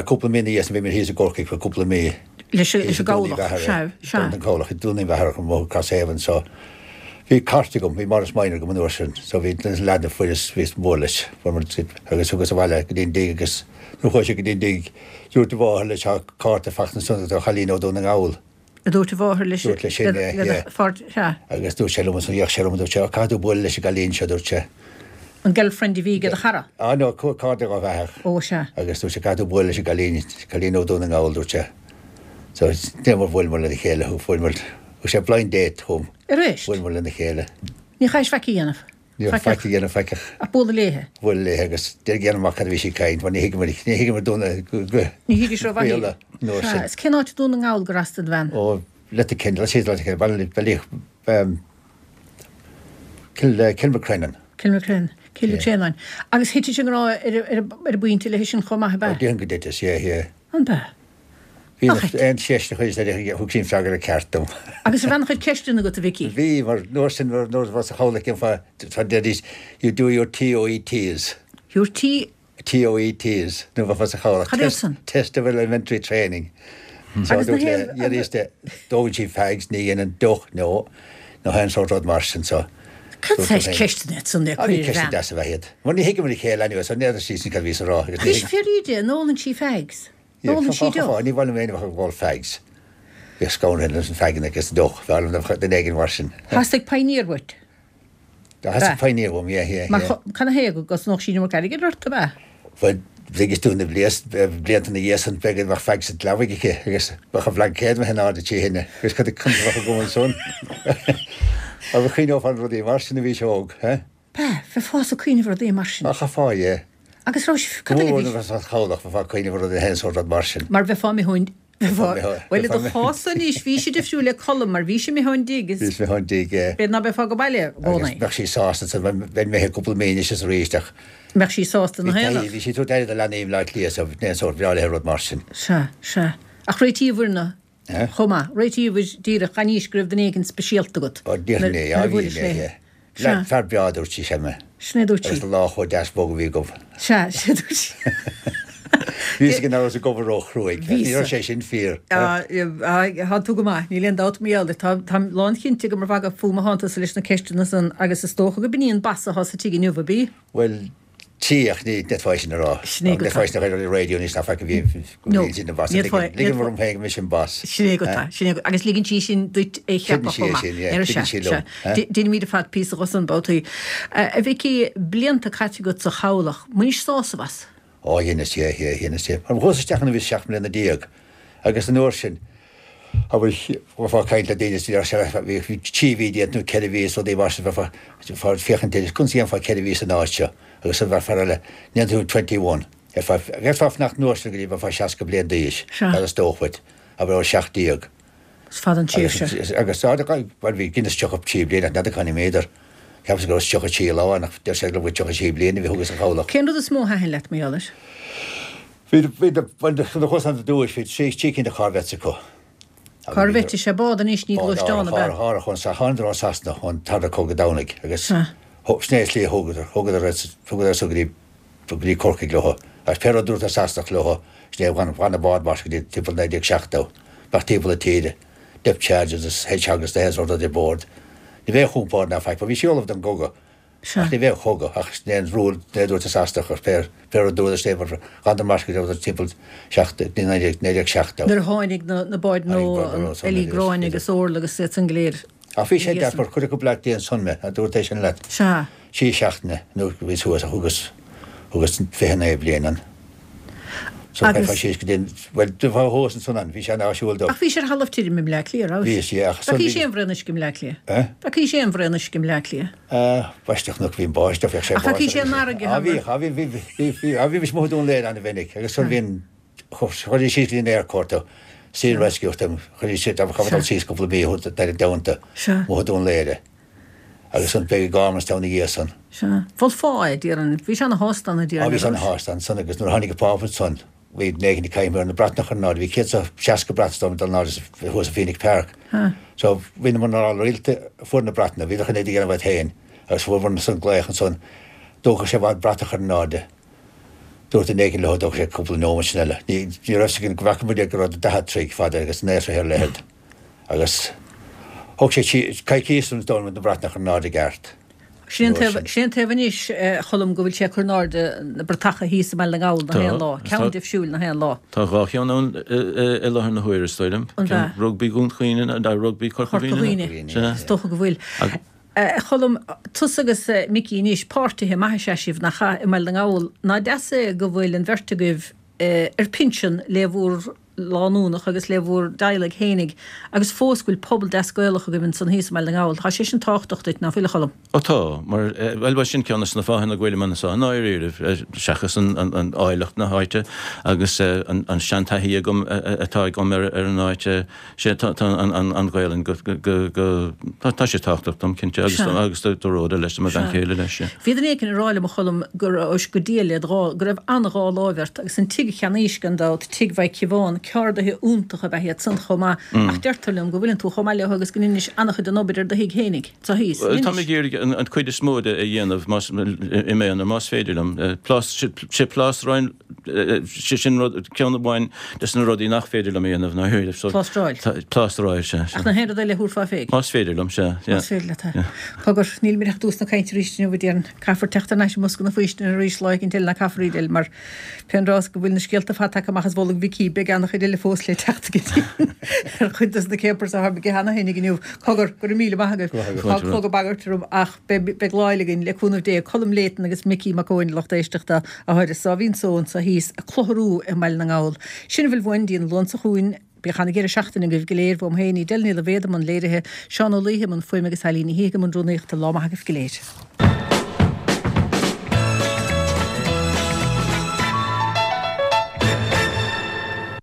cúpla mí ina dhiaidh sin, bhí mé thíos i gCorcaigh for cúpla mí.
Leis an
Thíos i Dún Uí
gcabhlach,
Mheachair,
sea, sea.
Dún an Cabhlach, i Dún Uí Mheachair, chun mo Crosshaven, so bhí cairt agam, bhí Morris Minor agam an uair sin, so bhí na leaideanna fuaireas, bhíos mór leis, fuair muid agus thugas abhaile go dtí an dtigh agus nuair a chuaigh sé go dtí an dtigh, dúirt a mháthair leis, tá cárta fachta ansan do chailín ó Dún na nGall.
A dúirt a mháthair leis,
Dúirt leis sin, yeah, yeah.
sea.
Agus dúirt sé liom ansan, d'fhéach sé orm, dúirt sé, oh, caithfidh tú bualadh leis an gcailín seo, dúirt sé.
An girlfriend a bhí ag do chara?
Ah, no, cairde dhá bheathach.
Ó, sea.
Agus dúirt sé, caithfidh tú bualadh leis an gcailín, cailín ó Dún na nGall, dúirt sé. So, déanamar bhuaileamar lena chéile, fuaireamar, thug sé blind date chugam.
Arís?
Bhuaileamar lena chéile.
Ní chaithis faic a dhéanamh?
Ní raibh faic a dhéanamh faic ach.
Ach bualadh léithe?
Bualadh léithe agus déanamh amach cad a bhí sí ag caint mar ní thuigeamar, ní thuigeamar Dún na, go, go.
Ní thuigis rómhaith í.
Béarla an uair sin.
Sea, is cén áit i Dún na nGall gur as don bhean?
Ó, Letterkenny, let's say Letterkenny, Baile, Baile, um, Cill, Kilmacrennan.
Kilmacrennan, Cill Chréanáin. Agus thitis i ngrá ar, ar, ar an bpointe léi sin chomh maith, ab
Ó,
ea?
déarfainn go dtitis, yeah, yeah.
An b'ea?
Bhí aon cheist a chuir sé, thug sí an freagra ceart dom.
Agus raibh an-chuid ceisteanna agat, a Mhicí?
Bhí, mar an uair sin, nuair a bheifeá sa chabhlach cén deiridís, you do your TOETs.
Your T?
TOETs, nuair a bheifeá sa chabhlach.
Cad é san?
Test of Elementary Training. So
Agus na
dúirt le,
haon.
dhéanaís de, dóann sí fags, ní dhéanann deoch, no, nó aon sórt rud mar sin, so.
Cad
Dúirt
saghas
mé féin.
ceisteanna iad san le
Ah, bhí
cur ar
ceisteanna
bhean?
deasa ab ea iad. Mar ní thuigeamar a chéile anyway, so n'fheadar sí sin cad a bhíos a rá agus ní
Anois
thuig.
fíor íde, an ólann sí fags?
Yeah,
Ólann sí deoch?
Ní bhfuil mé ag ól fags. Bhíodh scanraithe leis na faganna agus an deoch, bhí orm duine éigin mar sin.
Theastaigh pioneer uait?
Theastaigh pioneer uaim, yeah, yeah,
Mar
yeah.
cad ina thaobh go gcosnódh sí an iomarca airgid ort, ab ea?
Bhuel, thuigeas tú na blianta ina dhiaidh san, b'fhéidir go mbeadh fag sa leabaidh aici agus bheadh an bhlaincéad imithe in airde trí thine agus cad a bheadh agam ansan? Agus chuimhneofá ar rudaí mar sin a bhís óg, eh?
B'ea, bheifeása ag cuimhneamh ar rudaí mar sin.
Ach chaithfeá, yeah.
Agus raibh sibh, cad eile a bhí?
Go mór chabhlach, bheifeá ag cuimhneamh ar rudaí aon sórt rud mar sin.
Mar bheifeá imithe ón, bheifeá, bhuel i do chás-sa anois, bhí sé difriúil le Colm mar bhí sé imithe ón dtigh is.
Bhí sé imithe ón dtigh, yeah.
B'fhéidir ná beifeá go baile i gcónaí.
Agus bheadh sí sásta, so bheinn imithe cúpla mí anois is arís ach.
Mbeadh sí sásta ina
Bhí
haonach.
bhí sí ag tabhairt aire do leanaí i mBleá Cliath so bhí aon sórt bhreá léi rud mar sin.
Sea, sea. Ach réitíobhair na,
Eh?
chomh maith, réitíobhair díreach gan fhios go raibh duine éigin speisialta agat.
Ó, déarfainn é,
Nuair
yeah,
a
bhí
bhuailis
mé,
léi.
yeah.
Sea.
Fear breá, a dúirt sí, sea mé.
Sin é a dúirt sí.
Agus an lá chomh deas bog a bhí agam.
Sea, sin é a dúirt sí.
Bhí fhios aige nach rabhas ag obair ró-chruaidh.
Bhí
Ní raibh sé sin fíor.
Tá tú go maith, níl aon dabht mar gheall air. Tá, táim lánchinnte go mba mhagadh fúm a thánn tusa leis na ceisteanna san agus is dócha go b'in í an bas atá sa tigh inniu, ab í?
Bhuel, Tí, ach ní d'fhéadfá sin a rá.
Sin é go
D'fhéadfá sin a rá ar an raidió anois ná feic a bhí
No,
sin an bas.
ní fhéadfá-
Ligim orm féin go mb'é sin bas.
Sin é go tá, sin é go, agus ligeann sí sin duit é
Tuigeann
cheapadh
sí
chomh
é
maith.
sin, yeah,
Ar
tuigeann
sea,
sí liom,
sea.
eh?
Déanaimid ar fad píosa dhó san babhtaí. A Mhicí, blianta caite agat sa chabhlach, mbainis sásamh as?
Ó, dheineas, yeah, yeah, dheineas, yeah. Mar chuas isteach nuair a bhíos seacht mbliana déag agus an uair sin, abair, bheifeá ag caint le daoine is bhí bhí trí mhí déanta nó ceithre mhí is rudaí mar sin, bheifeá bheifeá ag féachaint air, conas a dhéanfá ceithre mhí san áit seo agus an bheadh fear eile, ndéanfaidh tú twenty one, bheifeá bheifeá ag fanacht an uair sin go dtí bheifeá seasca bliain d'aois,
Sea.
dar is dócha dhuit, abair ó seacht déag.
Is fada an tréimhse.
Agus agus bhuel bhí dheineas tríocha trí bliain ach n'fheadar cá méadar. Cheapas go raibh tríocha trí lá ann ach deir sé go bhfuil tríocha trí bliain a bhí thugas sa chabhlach.
Cén rud is mó a thaitin leat, mar gheall air?
Bhí bhí bhuel nuair a chuas ann ar dtúis bhí trí trí cinn de Corvettes acu.
Corvette is ea bád anois ní gluaisteán ab ea?
Árthach ón thánadar ó Sasana ón Tarna Cogadh Domhnaigh agus
Sea.
sin é an tslí a thógadar thógadar thógadar so go dtí go dtí Corcaigh leo agus pé rud a dúirt an Sasanach leo sin é bhain bhain an bád mar go dtí timpeall naoi déag seachtó bheadh timpeall na tíre depth charges agus hedgehogs na haon rud ar bord. Ní bheadh compord ná faic, bhí sí ullamh don gcogadh.
Sea.
Ach ní bheadh cogadh ach sin é an rule a dúirt an Sasanach ach pé pé rud a dúradar sin é ghabhadar mar go dtí timpeall seacht naoi déag naoi déag seachtó.
Nuair a tháinig na na báid
Tháinig
nua
báid nua
an
san
Ellie
agus
Gráinne agus Orla agus iad san go léir.
Ach bhí sé
Bhí
deas mar cuireadh go Bleá Cliath ansan mé, a dúirt é sin leat.
Sea.
Trí seachtaine nó bhí suas a thugas thugas fiche naoi bliain ann. So
Agus-
chaithfeá síos go dtí an bhuel do bheith thuas ansan ann, bhí sé an-áisiúil dom.
Ach bhí sé ar thalamh tirim i mBleá Cliath, raibh?
Bhí sé, ach
Bheadh sé aon bhraon uisce i mBleá Cliath?
Eh?
Bheadh sé aon bhraon uisce i mBleá Cliath?
Eh, báisteach nó bhí an báisteach, bheadh sé
Ach bheadh
báisteach.
sé an fharraige,
Ah, bhí,
ha,
ah, bhí, bhí, bhí, bhí, ah, bhí mise amuigh i Dún Laoghaire an-mhinic agus san bhí an chuir síos go dtí an airport Sea Rescue them, chuir siad a chaithfeá dul síos cúpla mí ar an domhanta
Sea.
amuigh i Dún Laoghaire. Agus an beidh Gormanstown ina dhiaidh san.
Sea. Mholfá é, déarfainn. Bhí sé ana-shásta ann, a déarfainn,
Ah, bhí sé
ar ais.
ana-shásta ansan agus nuair a tháinig an Pápa ansan, bhí naoi gcéad ar na bratacha in airde, bhí céad is seasca brat dom dul in airde thuas i Phoenix Park.
Ha.
So bhí na mná rialta fuair na bratacha, bhí chun é a dhéanamh iad féin agus fuair san glaoch ansan dócha sé bhfad bratach in airde. Dúirt an éigin leo dócha sé cúpla nóiméad sin eile. Ní ní raibh sé go bhfaca muid go raibh daichead troigh fada agus naoi troigh ar leithead. Agus thóg sé coicís an dul na bratach in airde i gceart.
Sin an
Nuair
taobh
sin.
sin an taobh anois, eh, Cholm go bhfuil sé ag cur in airde na bratacha thíos i mBaile na nGall na
Tá,
haon lá. Ceann
tá.
díobh siúil na haon lá.
Tá dhá cheann ann i láthair na huaire is dóigh liom.
An
Ceann
bhea?
Rugbaí Dhún Chaoin, ná rugbaí Corca
Corca
Dhuibhne.
Dhuibhne.
Sea.
Is dócha go bhfuil.
Ag-
Eh, Cholm, tusa agus eh, Micí anois páirtithe maithe is ea sibh nach ea i mBaile na nGall. Ná deas é go bhfuil an bheirt agaibh eh, ar pinsean le bhur lánúnach agus le bhur dteaghlaigh fhéinig agus fós go bhfuil pobal deas Gaelach agaibh ansan thíos i Mbaile na nGall. Tá sé sin tábhachtach duit, ná fuil a Cholm?
Ó tá, mar eh, bhuel bhuel sin ceann de na fáthanna go bhfuilim anseo i ndáiríribh, eh, seachas an, an, an áilleacht na háite agus eh, an, an seantaithí agam eh, eh, atá agam ar, ar an áit eh, sé tá, tá an, an, an Ghaelainn go, go, go, go, tá, tá sé tábhachtach dom cinnte agus
Sea.
agus do, do Rhoda leis do mo bhean
Sea.
chéile leis. yeah.
Bhí duine éicint ag rá liom a Cholm go raibh go diail le dhá go raibh an-dhá láimh ort agus an tigh a cheannaís gan dabht tigh Mhaidhc Shiobháin ceardaithe iontacha ab ea iad san chomh maith ach deirtear liom go bhfuileann tú chomh maith leo agus go ndeinis an-chuid den obair ar do thigh fhéinig sa thíos.
Well, Tá mé ag iarraidh an, an cuid is mó de a dhéanamh más i m'aonar más féidir liom. Eh, Plás sé plástráil sé sin rud ceann amháin des na rudaí nach féidir liom a dhéanamh ná thuir. So,
Plástráil.
Plástráil sé.
Ach na haon rud eile thabharfá féig.
Más féidir liom sé. yeah.
Más féidir leat é. Cogar níl mé ach tús na cainte arís inniu déarfainn caithfear teacht thar n-ais i mbosca na faoistine arís lá éicint eile ná caithfear iad eile mar pén rás go bhfuil na scéalta fada tagtha amach as bolg Mhicí beidh an-chuid eile fós le teacht go dtí ar chuid des na céapars a tháinig cheana féin inniu. Cogar go raibh míle maith agaibh.
Go
Tá clog ag bagairt orm ach beidh beidh lá eile againn le cúnamh Dé Colm Layton agus Micí Mac Eoin lucht éisteachta a tháire Sáimhín Só sa thíos ag clutharú i mBaile na nGall. Sin a bhfuil uainn go dtí an Luan seo chugainn Bíodh an-deireadh seachtaine agaibh go léir uaim féin Edel Ní Loibhéad i mbun léirithe, Seán Ó Laoithe i mbun fuaime agus Ailín Ní Shíthigh i mbun rúnaíochta lá maith agaibh go léir.